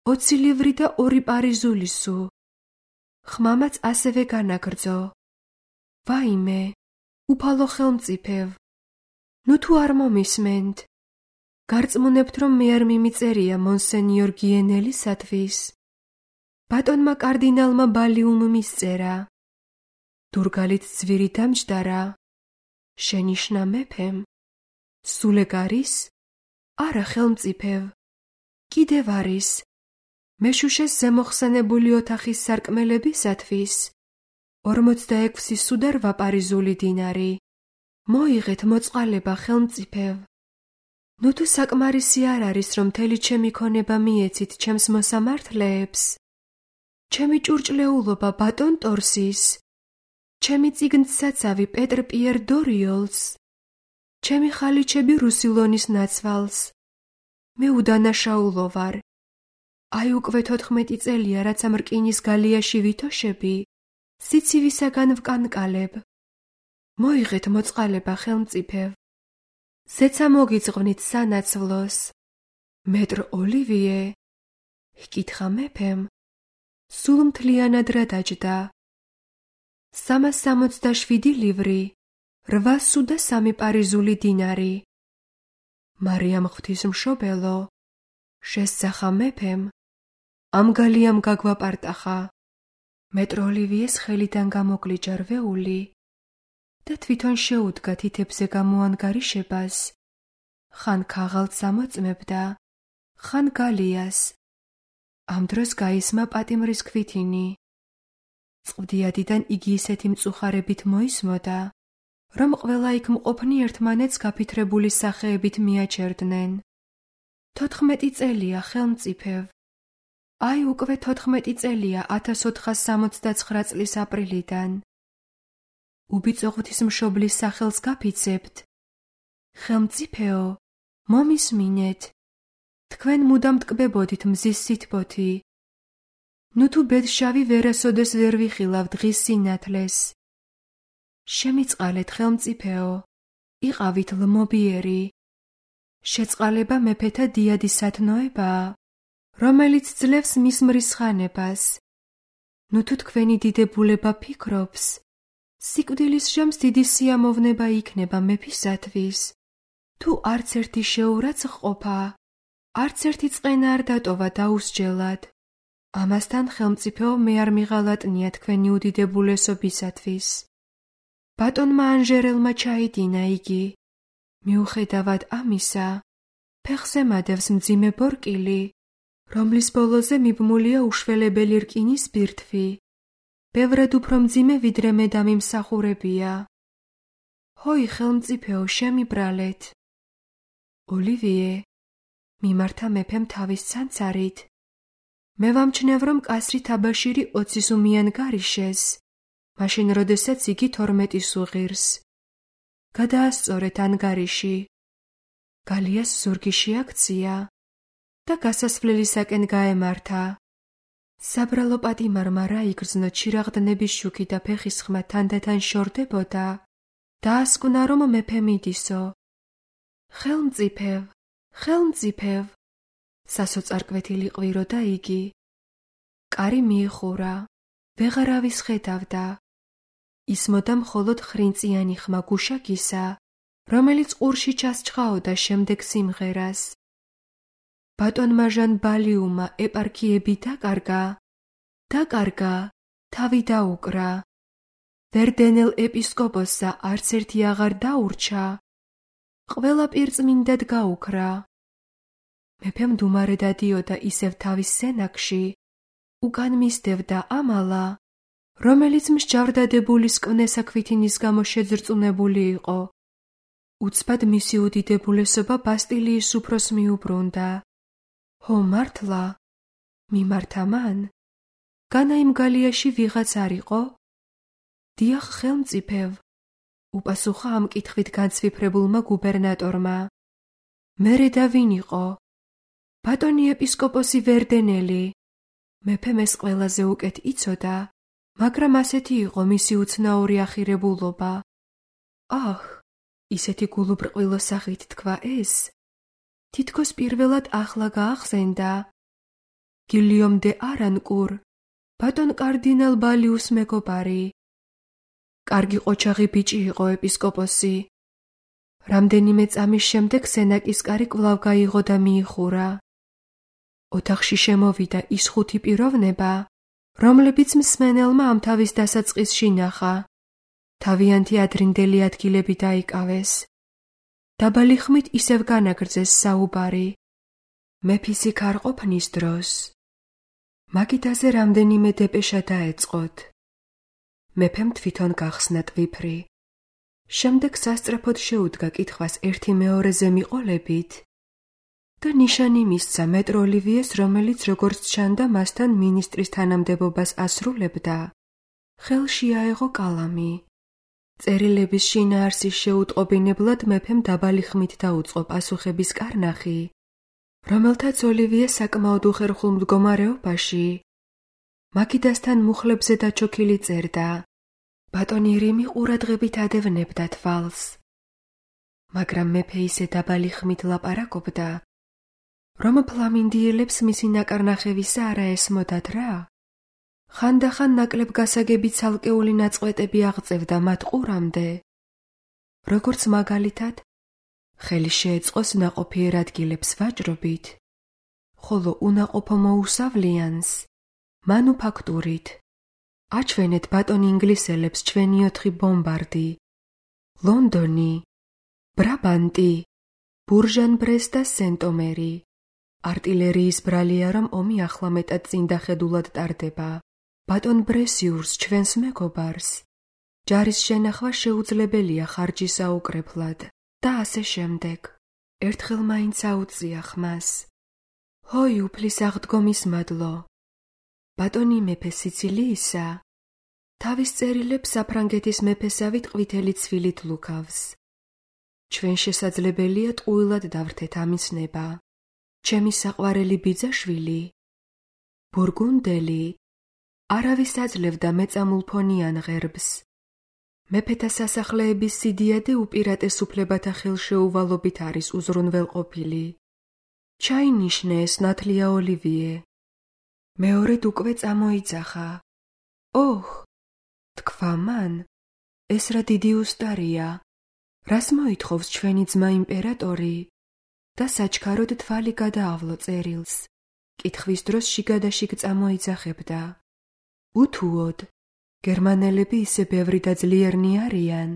20 ლივრი და 2 პარიზული სუ. ხმამაც ასევე განაგრძო. ვაიმე, უფალო ხელმწიფევ, ნუ თუ არ მომისმენთ, გარწმუნებთ, რომ მე არ მიმიწერია მონსენიორ გიენელისათვის. ბატონმა კარდინალმა ბალიუმ მისწერა. დურგალით ძვირი დამჯდარა. შენიშნა მეფემ. სულ ეგ არის? არა ხელმწიფევ. კიდევ არის. მეშუშეს ზემოხსენებული ოთახის სარკმელებისათვის 46 სუ და 8 პარიზული დინარი. მოიღეთ მოწყალება ხელმწიფევ. ნუ თუ საკმარისი არ არის, რომ მთელი ჩემი ქონება მიეცით ჩემს მოსამართლეებს, ჩემი ჭურჭლეულობა ბატონ ტორსის, ჩემი წიგნსაცავი პეტრ პიერ დორიოლს, ჩემი ხალიჩები რუსილონის ნაცვალს. მე უდანაშაულო ვარ. აი უკვე 14 წელია, რაც ამ რკინის გალიაში ვითოშები, სიცივისაგან ვკანკალებ. მოიღეთ მოწყალება ხელმწიფევ. ზეცა მოგიძღვნით სანაცვლოს. მეტრ ოლივიე, ჰკითხა მეფემ, სულ მთლიანად რა დაჯდა. 367 ლივრი, 8 სუ და 3 პარიზული დინარი. მარიამ ღვთისმშობელო, შესძახა მეფემ, ამ გალიამ გაგვაპარტახა. მეტრ ოლივიეს ხელიდან გამოგლიჯა რვეული და თვითონ შეუდგა თითებზე გამოანგარიშებას. ხან ქაღალდს ამოწმებდა, ხან გალიას. ამ დროს გაისმა პატიმრის ქვითინი. წყვდიადიდან იგი ისეთი მწუხარებით მოისმოდა, რომ ყველა იქ მყოფნი ერთმანეთს გაფითრებული სახეებით მიაჩერდნენ. 14 წელია ხელმწიფევ. აი უკვე 14 წელია 1469 წლის აპრილიდან. უბიწო ღვთისმშობლის სახელს გაფიცებთ. ხელმწიფეო, მომისმინეთ. თქვენ მუდამ ტკბებოდით მზის სითბოთი. ნუ თუ ბედშავი ვერასოდეს ვერ ვიხილავ დღის სინათლეს. შემიწყალეთ ხელმწიფეო, იყავით ლმობიერი. შეწყალება მეფეთა დიადის სათნოებაა, რომელიც ძლევს მის მრისხანებას. ნუ თუ თქვენი დიდებულება ფიქრობს, სიკვდილის ჟამს დიდი სიამოვნება იქნება მეფისათვის. თუ არც ერთი შეურაც ჰყოფა, არც ერთი წყენა არ დატოვა დაუსჯელად. ამასთან ხელმწიფეო მე არ მიღალატნია თქვენი უდიდებულესობისათვის. ბატონმა ანჟერელმა ჩაიდინა იგი. მიუხედავად ამისა, ფეხზე მადევს მძიმე ბორკილი, რომლის ბოლოზე მიბმულია უშველებელი რკინის ბირთვი. ბევრად უფრო მძიმე ვიდრე მე დამიმსახურებია. ჰოი ხელმწიფეო, შემიბრალეთ. ოლივიე, მიმართა მეფემ თავის ცანცარით. მე ვამჩნევ, რომ კასრი თაბაშირი 20 სუ მიანგარიშეს, მაშინ როდესაც იგი 12 სუ ღირს. გადაასწორეთ ანგარიში. გალიას ზურგი შეაქცია და გასასვლელისაკენ გაემართა. საბრალო პატიმარმა რა იგრძნო ჩირაღდნების შუქი და ფეხის ხმა თანდათან შორდებოდა, დაასკვნა რომ მეფე მიდისო. ხელმწიფევ, სასოწარკვეთილი ყვიროდა იგი. კარი მიიხურა, ვეღარავის ხედავდა. ისმოდა მხოლოდ ხრინწიანი ხმა გუშაგისა, რომელიც ყურში ჩასჩხაოდა შემდეგ სიმღერას. ბატონმა ჟან ბალიუმმა ეპარქიები დაკარგა, თავი დაუკრა. ვერდენელ ეპისკოპოსსა არც ერთი აღარ დაურჩა, ყველა პირწმინდად გაუქრა. მეფემ დუმარე დადიოდა ისევ თავის სენაკში, უკან მისდევდა ამალა, რომელიც მსჯავრდადებულის კვნესა ქვითინის გამო შეძრწუნებული იყო. უცბად მისი უდიდებულესობა ბასტილიის უფროს მიუბრუნდა. ჰო მართლა? მიმართა მან? განა იმ გალიაში ვიღაც არ იყო? დიახ, ხელმწიფევ, უპასუხა ამ კითხვით განცვიფრებულმა გუბერნატორმა. მერე და ვინ იყო? ბატონი ეპისკოპოსი ვერდენელი. მეფემ ეს ყველაზე უკეთ იცოდა, მაგრამ ასეთი იყო მისი უცნაური ახირებულობა. აჰ, ისეთი გულუბრყვილო სახით თქვა ეს? თითქოს პირველად ახლა გაახსენდა. გილიომ დე არანკურ, ბატონ კარდინალ ბალიუს მეგობარი. კარგი ყოჩაღი ბიჭი იყო ეპისკოპოსი. რამდენიმე წამის შემდეგ სენაკის კარი კვლავ გაიღო და მიიხურა. ოთახში შემოვიდა ის 5 პიროვნება, რომლებიც მსმენელმა ამ თავის დასაწყისში ნახა. თავიანთი ადრინდელი ადგილები დაიკავეს. დაბალი ხმით ისევ განაგრძეს საუბარი. მეფის იქ არ ყოფნის დროს. მაგიდაზე რამდენიმე დეპეშა დაეწყოთ. მეფემ თვითონ გახსნა ტვიფრი. შემდეგ სასწრაფოდ შეუდგა კითხვას ერთი მეორეზე მიყოლებით და ნიშანი მისცა მეტრ ოლივიეს, რომელიც როგორც ჩანდა მასთან მინისტრის თანამდებობას ასრულებდა. ხელში აეღო კალამი. წერილების შინაარსის შეუტყობინებლად მეფემ დაბალი ხმით დაუწყო პასუხების კარნახი, რომელთაც ოლივიე საკმაოდ უხერხულ მდგომარეობაში მაგიდასთან მუხლებზე დაჩოქილი წერდა. ბატონი რიმი ყურადღებით ადევნებდა თვალს. მაგრამ მეფე ისე დაბალი ხმით ლაპარაკობდა, რომ ფლამინდიელებს მისი ნაკარნახევისა არა ესმოდათ რა. ხანდახან ნაკლებ გასაგები ცალკეული ნაწყვეტები აღწევდა მათ ყურამდე. როგორც მაგალითად, ხელი შეეწყოს ნაყოფიერ ადგილებს ვაჭრობით, ხოლო უნაყოფო მოუსავლიანს მანუფაქტურით. აჩვენეთ ბატონ ინგლისელებს ჩვენი 4 ბომბარდი, ლონდონი, ბრაბანტი, ბურჟან-ბრეს და სენტომერი. არტილერიის ბრალია, რომ ომი ახლა მეტად წინდახედულად ტარდება. ბატონ ბრესიურს, ჩვენს მეგობარს, ჯარის შენახვა შეუძლებელია ხარჯის აუკრეფლად და ასე შემდეგ. ერთხელ მაინც აუწია ხმას. ჰოი, უფლის აღდგომის მადლო. ბატონი მეფე სიცილიისა თავის წერილებს საფრანგეთის მეფესავით ყვითელი ცვილით ლუქავს. ჩვენ შესაძლებელია ტყუილად დავრთეთ ამის ნება. ჩემი საყვარელი ბიძაშვილი, ბურგუნდელი, არავის აძლევდა მეწამულფონიან ღერბს. მეფეთა სასახლეების სიდიადე უპირატეს უფლებათა ხელშეუვალობით არის უზრუნველყოფილი. ჩაინიშნე ეს ნათლია ოლივიე. მეორედ უკვე წამოიძახა. ოჰ, თქვა მან, ეს რა დიდი უსტარია. რას მოითხოვს ჩვენი ძმა იმპერატორი? და საჩქაროდ თვალი გადაავლო წერილს. კითხვის დროს შიგადაშიგ წამოიძახებდა. უთუოდ, გერმანელები ისე ბევრი და ძლიერნი არიან,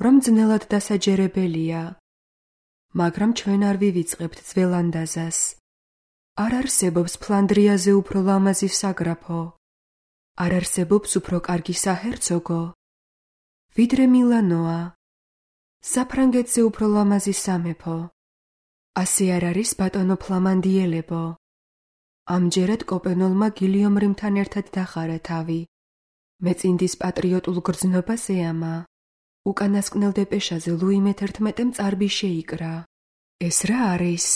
რომ ძნელად დასაჯერებელია. მაგრამ ჩვენ არ ვივიწყებთ ძველანდაზას. არ არსებობს ფლანდრიაზე უფრო ლამაზი საგრაფო. არ არსებობს უფრო კარგი საჰერცოგო, ვიდრე მილანოა. საფრანგეთზე უფრო ლამაზი სამეფო. ასე არ არის ბატონო ფლამანდიელებო. ამჯერად კოპენოლმა გილიომ რიმთან ერთად დახარა თავი. მეწინდის პატრიოტულ გრძნობას ეამა. უკანასკნელ დეპეშაზე ლუი მე-11-მ წარბი შეიკრა. ეს რა არის?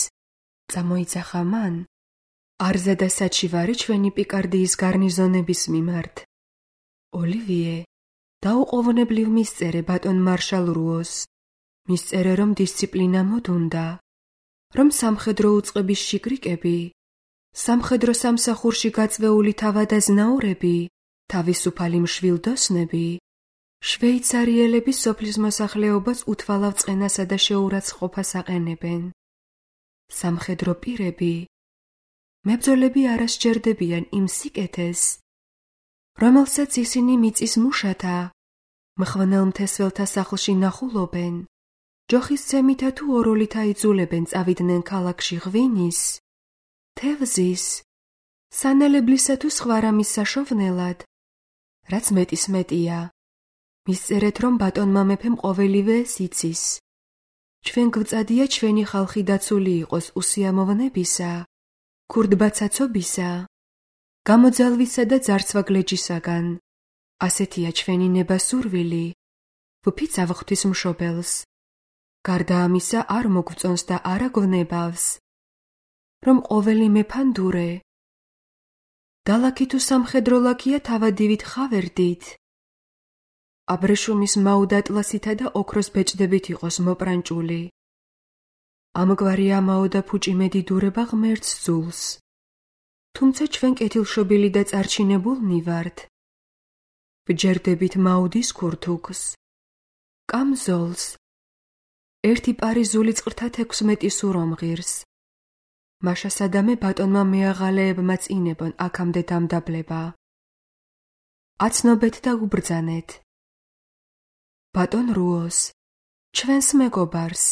წამოიძახა მან. არზა და საჩივარი ჩვენი პიკარდიის გარნიზონების მიმართ. ოლივიე, დაუყოვნებლივ მისწერე ბატონ მარშალ რუოს. მისწერე, რომ დისციპლინა მოდუნდა, რომ სამხედრო უწყების შიგრიკები, სამხედრო სამსახურში გაწვეული თავადაზნაურები, თავისუფალი მშვილდოსნები, შვეიცარიელების სოფლის მოსახლეობას უთვალავ წყენასა და შეურაცხყოფას აყენებენ. სამხედრო პირები, მებრძოლები არ ასჯერდებიან იმ სიკეთეს, რომელსაც ისინი მიწის მუშათა, მხვენელ მთესველთა სახლში ნახულობენ, ჯოხისცემითა თუ ოროლით აიძულებენ წავიდნენ ქალაქში ღვინის, თევზის, სანელებლისა თუ სხვა რამის საშოვნელად, რაც მეტის მეტია. მისწერეთ, რომ ბატონმა მეფემ ყოველივე ეს იცის. ჩვენ გვწადია ჩვენი ხალხი დაცული იყოს უსიამოვნებისა, ქურდბაცაცობისა, გამოძალვისა და ძარცვაგლეჯისაგან. ასეთია ჩვენი ნება-სურვილი, ვფიცავ ღვთისმშობელს. გარდა ამისა არ მოგვწონს და არ აგვნებავს, რომ ყოველი მეფანდურე, დალაქი თუ სამხედრო ლაქია თავადივით ხავერდით, აბრეშუმის მაუდატლასითა და ოქროს ბეჭდებით იყოს მოპრანჭული. ამგვარი ამაო და ფუჭიმედი დურება ღმერთს ძულს. თუმცა ჩვენ კეთილშობილი და წარჩინებულნი ვართ. ვჯერდებით მაუდის ქურთუქს, კამზოლს, ერთი პარიზული წყრთა 16 სურომღირს. მაშა სადამე ბატონმა მეაღალეებმა წინებონ აქამდე დამდაბლება. აცნობეთ და უბრძანეთ. ბატონ რუოს, ჩვენს მეგობარს.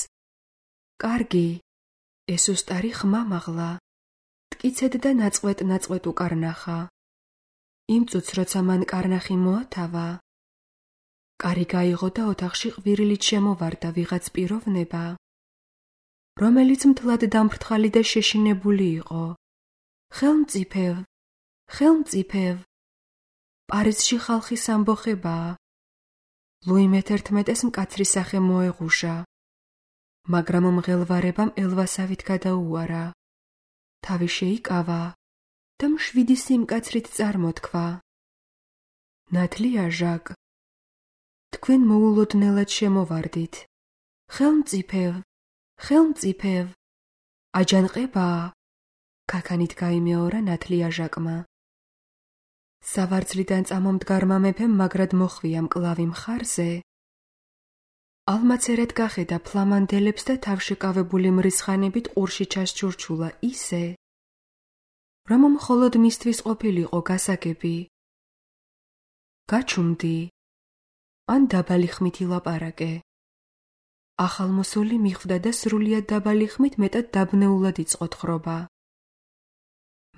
კარგი, ეს უსტარი ხმა მაღლა. მტკიცედ და ნაწყვეტ უკარნახა. იმ წუთს, როცა მან კარნახი მოათავა, კარი გაიღო და ოთახში ყვირილით შემოვარდა ვიღაც პიროვნება, რომელიც მთლად დამფრთხალი და შეშინებული იყო. ხელმწიფევ, პარიზში ხალხის ამბოხებაა. ლუი მე-11-ს მკაცრი სახე მოეღუშა, მაგრამ მღელვარებამ ელვასავით გადაუარა. თავი შეიკავა და მშვიდი სიმკაცრით წარმოთქვა. ნათლია ჟაკ, თქვენ მოულოდნელად შემოვარდით. ხელმწიფევ, აჯანყებაა, ქაქანით გაიმეორა ნათლია ჟაკმა. სავარძლიდან წამომდგარმა მეფემ მაგრად მოხვია მკლავი მხარზე. ალმაცერად გახედა ფლამანდელებს და თავშეკავებული მრისხანებით ყურში ჩასჩურჩულა ისე, რომ მხოლოდ მისთვის ყოფილიყო გასაგები. გაჩუმდი, ან დაბალი ხმით ილაპარაკე. ახალმოსული მიხვდა და სრულიად დაბალი ხმით მეტად დაბნეულად იწყო თხრობა.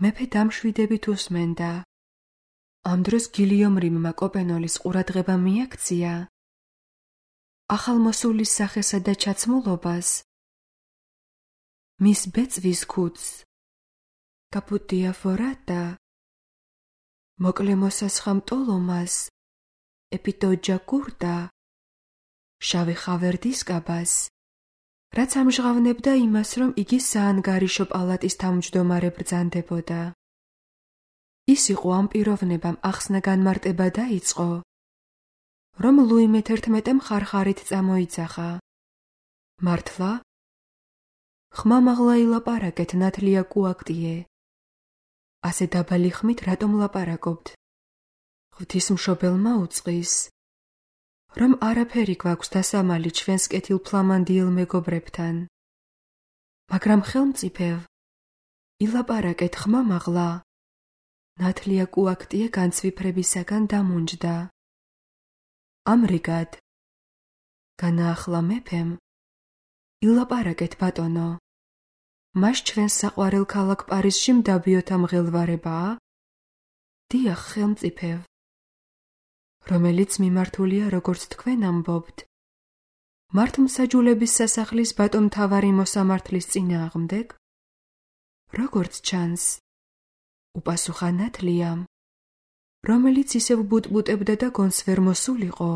მეფე დამშვიდებით უსმენდა. ამ დროს გილიომ რიმმა კოპენოლის ყურადღება მიაქცია ახალმოსულის სახესა და ჩაცმულობას, მის ბეწვის ქუდს, კაპუტია ფორატა, მოკლე მოსასხამ ტოლომას, ეპიტოჯა კურტა, შავი ხავერდის კაბას, რაც ამჟღავნებდა იმას, რომ იგი საანგარიშო პალატის თავმჯდომარე ბრძანდებოდა. ის იყო ამ პიროვნებამ ახსნა განმარტება დაიწყო, რომ ლუი მე-11-მ ხარხარით წამოიძახა. მართლა? ხმა მაღლა ილაპარაკეთ, ნათლია კუაქტიე. ასე დაბალი ხმით რატომ ლაპარაკობთ? ღვთისმშობელმა უწყის, რომ არაფერი გვაქვს დასამალი ჩვენს კეთილ ფლამანდიელ მეგობრებთან. მაგრამ ხელმწიფევ, ილაპარაკეთ ხმა მაღლა. ნათლია კუაქტიე განცვიფრებისაგან დამუნჯდა. ამრიგად, განაახლა მეფემ, ილაპარაკეთ ბატონო, მას ჩვენს საყვარელ ქალაქ პარიზში მდაბიოთა მღელვარებაა? დიახ, ხელმწიფევ, რომელიც მიმართულია, როგორც თქვენ ამბობთ, მართლმსაჯულების სასახლის ბატონმთავარი მოსამართლის წინააღმდეგ? როგორც ჩანს, უპასუხა ნათლიამ, რომელიც ისევ ბუტბუტებდა და გონს ვერ მოსულიყო.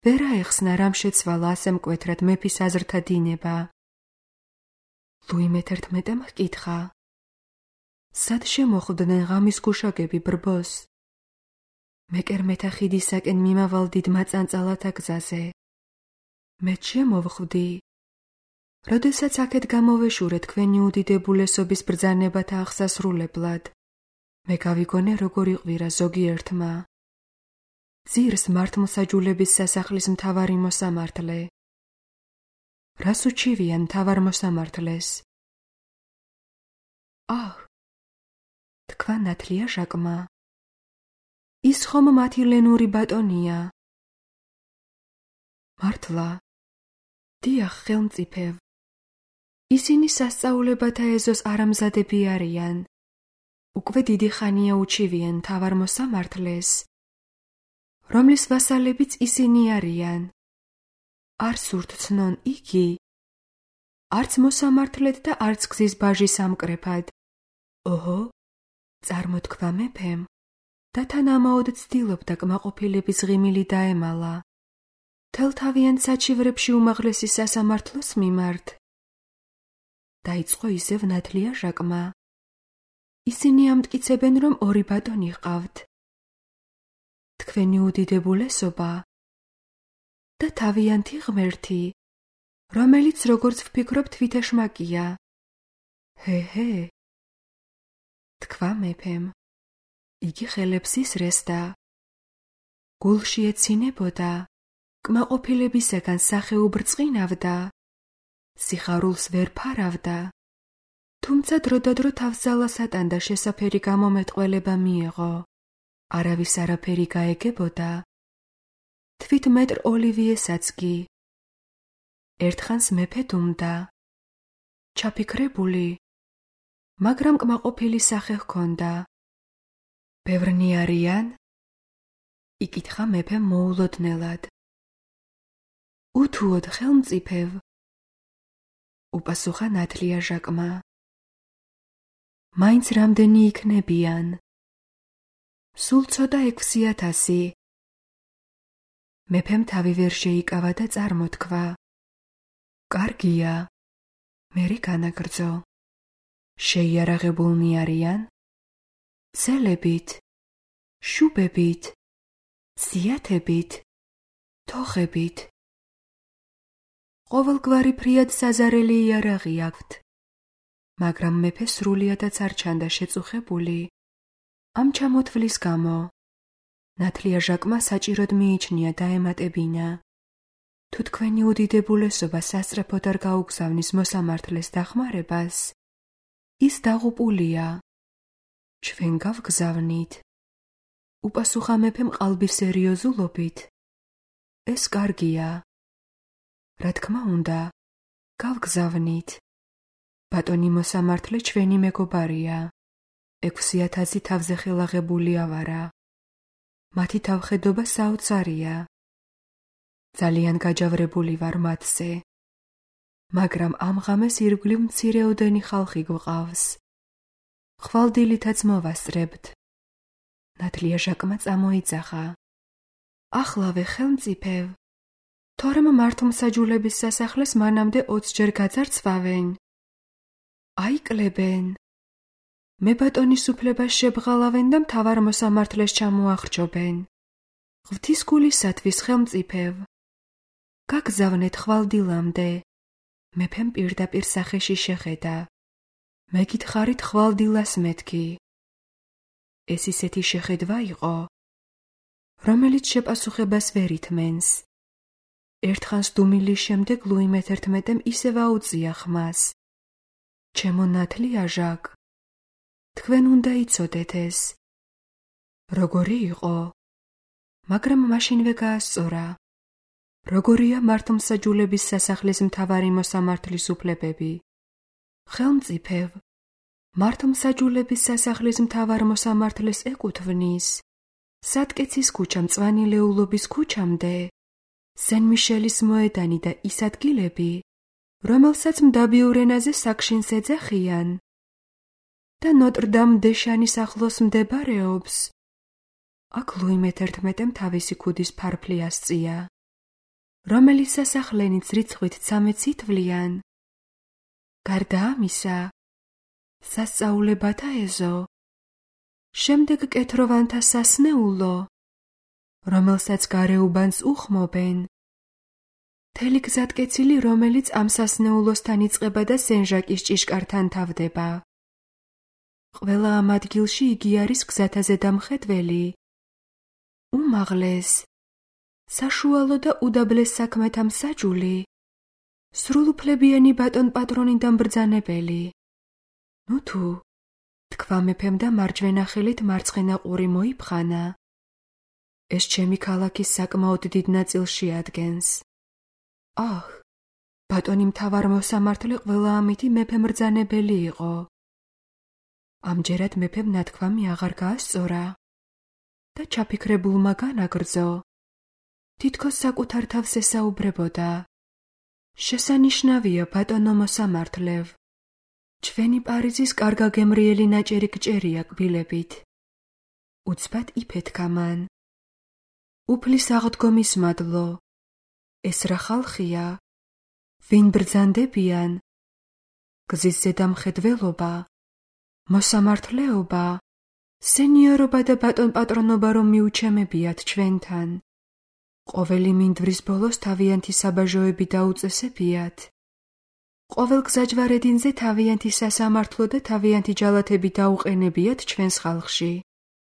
ვერ აეხსნა რამ შეცვალა ასე მკვეთრად მეფის აზრთა დინება. ლუი მე-11-მ ჰკითხა. სად შემოხვდნენ ღამის გუშაგები ბრბოს? მეკერმეთა ხიდისაკენ მიმავალ დიდმა წანწალათა გზაზე. მეც შემოვხვდი. როდესაც აქეთ გამოვეშურე თქვენი უდიდებულესობის ბრძანებათა აღსასრულებლად, მე გავიგონე როგორ იყვირა ზოგიერთმა. ძირს მართლმსაჯულების სასახლის მთავარი მოსამართლე. რას უჩივიან მთავარ მოსამართლეს? აჰ, თქვა ნათლია ჟაკმა. ის ხომ მათი ლენური ბატონია? მართლა? დიახ, ხელმწიფევ. ისინი სასწაულებათა ეზოს არამზადები არიან. უკვე დიდი ხანია უჩივიან მთავარ მოსამართლეს, რომლის ვასალებიც ისინი არიან. არ სურთ ცნონ იგი, არც მოსამართლედ და არც გზის ბაჟის ამკრეფად. ოჰო, წარმოთქვა მეფემ და თან ამაოდ ცდილობდა კმაყოფილების ღიმილი დაემალა. თელთავიან საჩივრებში უმაღლესი სასამართლოს მიმართ. დაიწყო ისევ ნათლია ჟაკმა. ისინი ამტკიცებენ, რომ ორი ბატონი ჰყავთ. თქვენი უდიდებულესობა და თავიანთი ღმერთი, რომელიც როგორც ვფიქრობ თვითეშმაკია. ჰე, თქვა მეფემ. იგი ხელებს ისრესდა. გულში ეცინებოდა, კმაყოფილებისაგან სახეობ რწყინავდა, სიხარულს ვერ ფარავდა, თუმცა დროდადრო თავს ატანდა შესაფერი გამომეტყველება მიეღო. არავის არაფერი გაეგებოდა. თვით მეტრ ოლივიესაც კი. ერთხანს მეფე დუმდა. ჩაფიქრებული, მაგრამ კმაყოფილი სახე ჰქონდა. ბევრნი არიან? იკითხა მეფე მოულოდნელად. უთუოდ ხელმწიფევ, უპასუხა ნათლია ჟაკმა. მაინც რამდენი იქნებიან? სულ ცოტა 6,000. მეფემ თავი ვერ შეიკავა და წარმოთქვა. კარგია, მერე განაგრძო. შეიარაღებულნი არიან? ცელებით, შუბებით, სიათებით, თოხებით. ყოველგვარი ფრიად საზარელი იარაღი აქვთ, მაგრამ მეფე სრულიადაც არ ჩანდა შეწუხებული ამ ჩამოთვლის გამო. ნათლია ჟაკმა საჭიროდ მიიჩნია დაემატებინა. თუ თქვენი უდიდებულესობა სასწრაფოდ არ გაუგზავნის მოსამართლეს დახმარებას, ის დაღუპულია. ჩვენ გავგზავნით. უპასუხა მეფემ ყალბის სერიოზულობით. ეს კარგია. რა თქმა უნდა, გავგზავნით. ბატონი მოსამართლე ჩვენი მეგობარია. 6,000 თავზე ხელაღებული ავარა. მათი თავხედობა საოცარია. ძალიან გაჯავრებული ვარ მათზე. მაგრამ ამ ღამეს ირგვლივ მცირეოდენი ხალხი გვყავს. ხვალდილითაც მოვასწრებთ. ნათლია ჟაკმა წამოიძახა. ახლავე ხელმწიფევ, თორემ მართლმსაჯულების სასახლეს მანამდე 20 ჯერ გაძარცვავენ. აიკლებენ. მე ბატონის უფლებას შებღალავენ და მთავარ მოსამართლეს ჩამოახრჩობენ. ღვთისგულისათვის ხელმწიფევ, გაგზავნეთ ხვალდილამდე. მეფემ პირდაპირ სახეში შეხედა. მეკითხარით ხვალდილას მეთქი. ეს ისეთი შეხედვა იყო, რომელიც შეპასუხებას ვერ ითმენს. ერთხანს დუმილის შემდეგ ლუი მე-11-მ ისევ აუწია ხმას. ჩემო ნათლია ჟაკ, თქვენ უნდა იცოდეთ ეს. როგორი იყო? მაგრამ მაშინვე გაასწორა. როგორია მართლმსაჯულების სასახლის მთავარი მოსამართლის უფლებები? ხელმწიფევ, მართლმსაჯულების სასახლის მთავარ მოსამართლეს ეკუთვნის სატკეცის ქუჩა მწვანი ლეულობის ქუჩამდე, სენ-მიშელის მოედანი და ის ადგილები, რომელსაც მდაბიურ ენაზე საკშინს ეძახიან და ნოტრ-დამ-დე-შანის ახლოს მდებარეობს. აქ ლუი მე-11-მ თავისი ქუდის ფარფლი ასწია, რომელიც სასახლენიც რიცხვით 13 ითვლიან. გარდა ამისა, სასწაულებათა ეზო, შემდეგ კეთროვანთა სასნეულო, რომელსაც გარეუბანს უხმობენ, მთელი გზატკეცილი, რომელიც ამ სასნეულოსთან იწყება და სენჟაკის ჭიშკართან თავდება. ყველა ამ ადგილში იგი არის გზათა ზედამხედველი, უმაღლეს, საშუალო და უდაბლეს საქმეთა მსაჯული, სრულუფლებიანი ბატონ პატრონიდან ბრძანებელი. ნუ თუ, თქვა მეფემ და მარჯვენა ხელით მარცხენა ყური მოიფხანა. ეს ჩემი ქალაქის საკმაოდ დიდ ნაწილს შეადგენს. აჰ, ბატონი მთავარ მოსამართლე ყველა ამითი მეფემ ბრძანებელი იყო. ამჯერად მეფემ ნათქვამი აღარ გაასწორა და ჩაფიქრებულმა განაგრძო. თითქოს საკუთარ თავს ესაუბრებოდა. შესანიშნავია, ბატონო მოსამართლევ, ჩვენი პარიზის კარგაგემრიელი ნაჭერი გჭერია კბილებით. უცბად იფეთქა მან. უფლის აღდგომის მადლო, ეს რა ხალხია? ვინ ბრძანდებიან? გზის ზედამხედველობა, მოსამართლეობა, სენიორობა და ბატონ პატრონობა რომ მიუჩემებიათ ჩვენთან. ყოველი მინდვრის ბოლოს თავიანთი საბაჟოები დაუწესებიათ. ყოველ გზაჯვარედინზე თავიანთი სასამართლო და თავიანთი ჯალათები დაუყენებიათ ჩვენს ხალხში.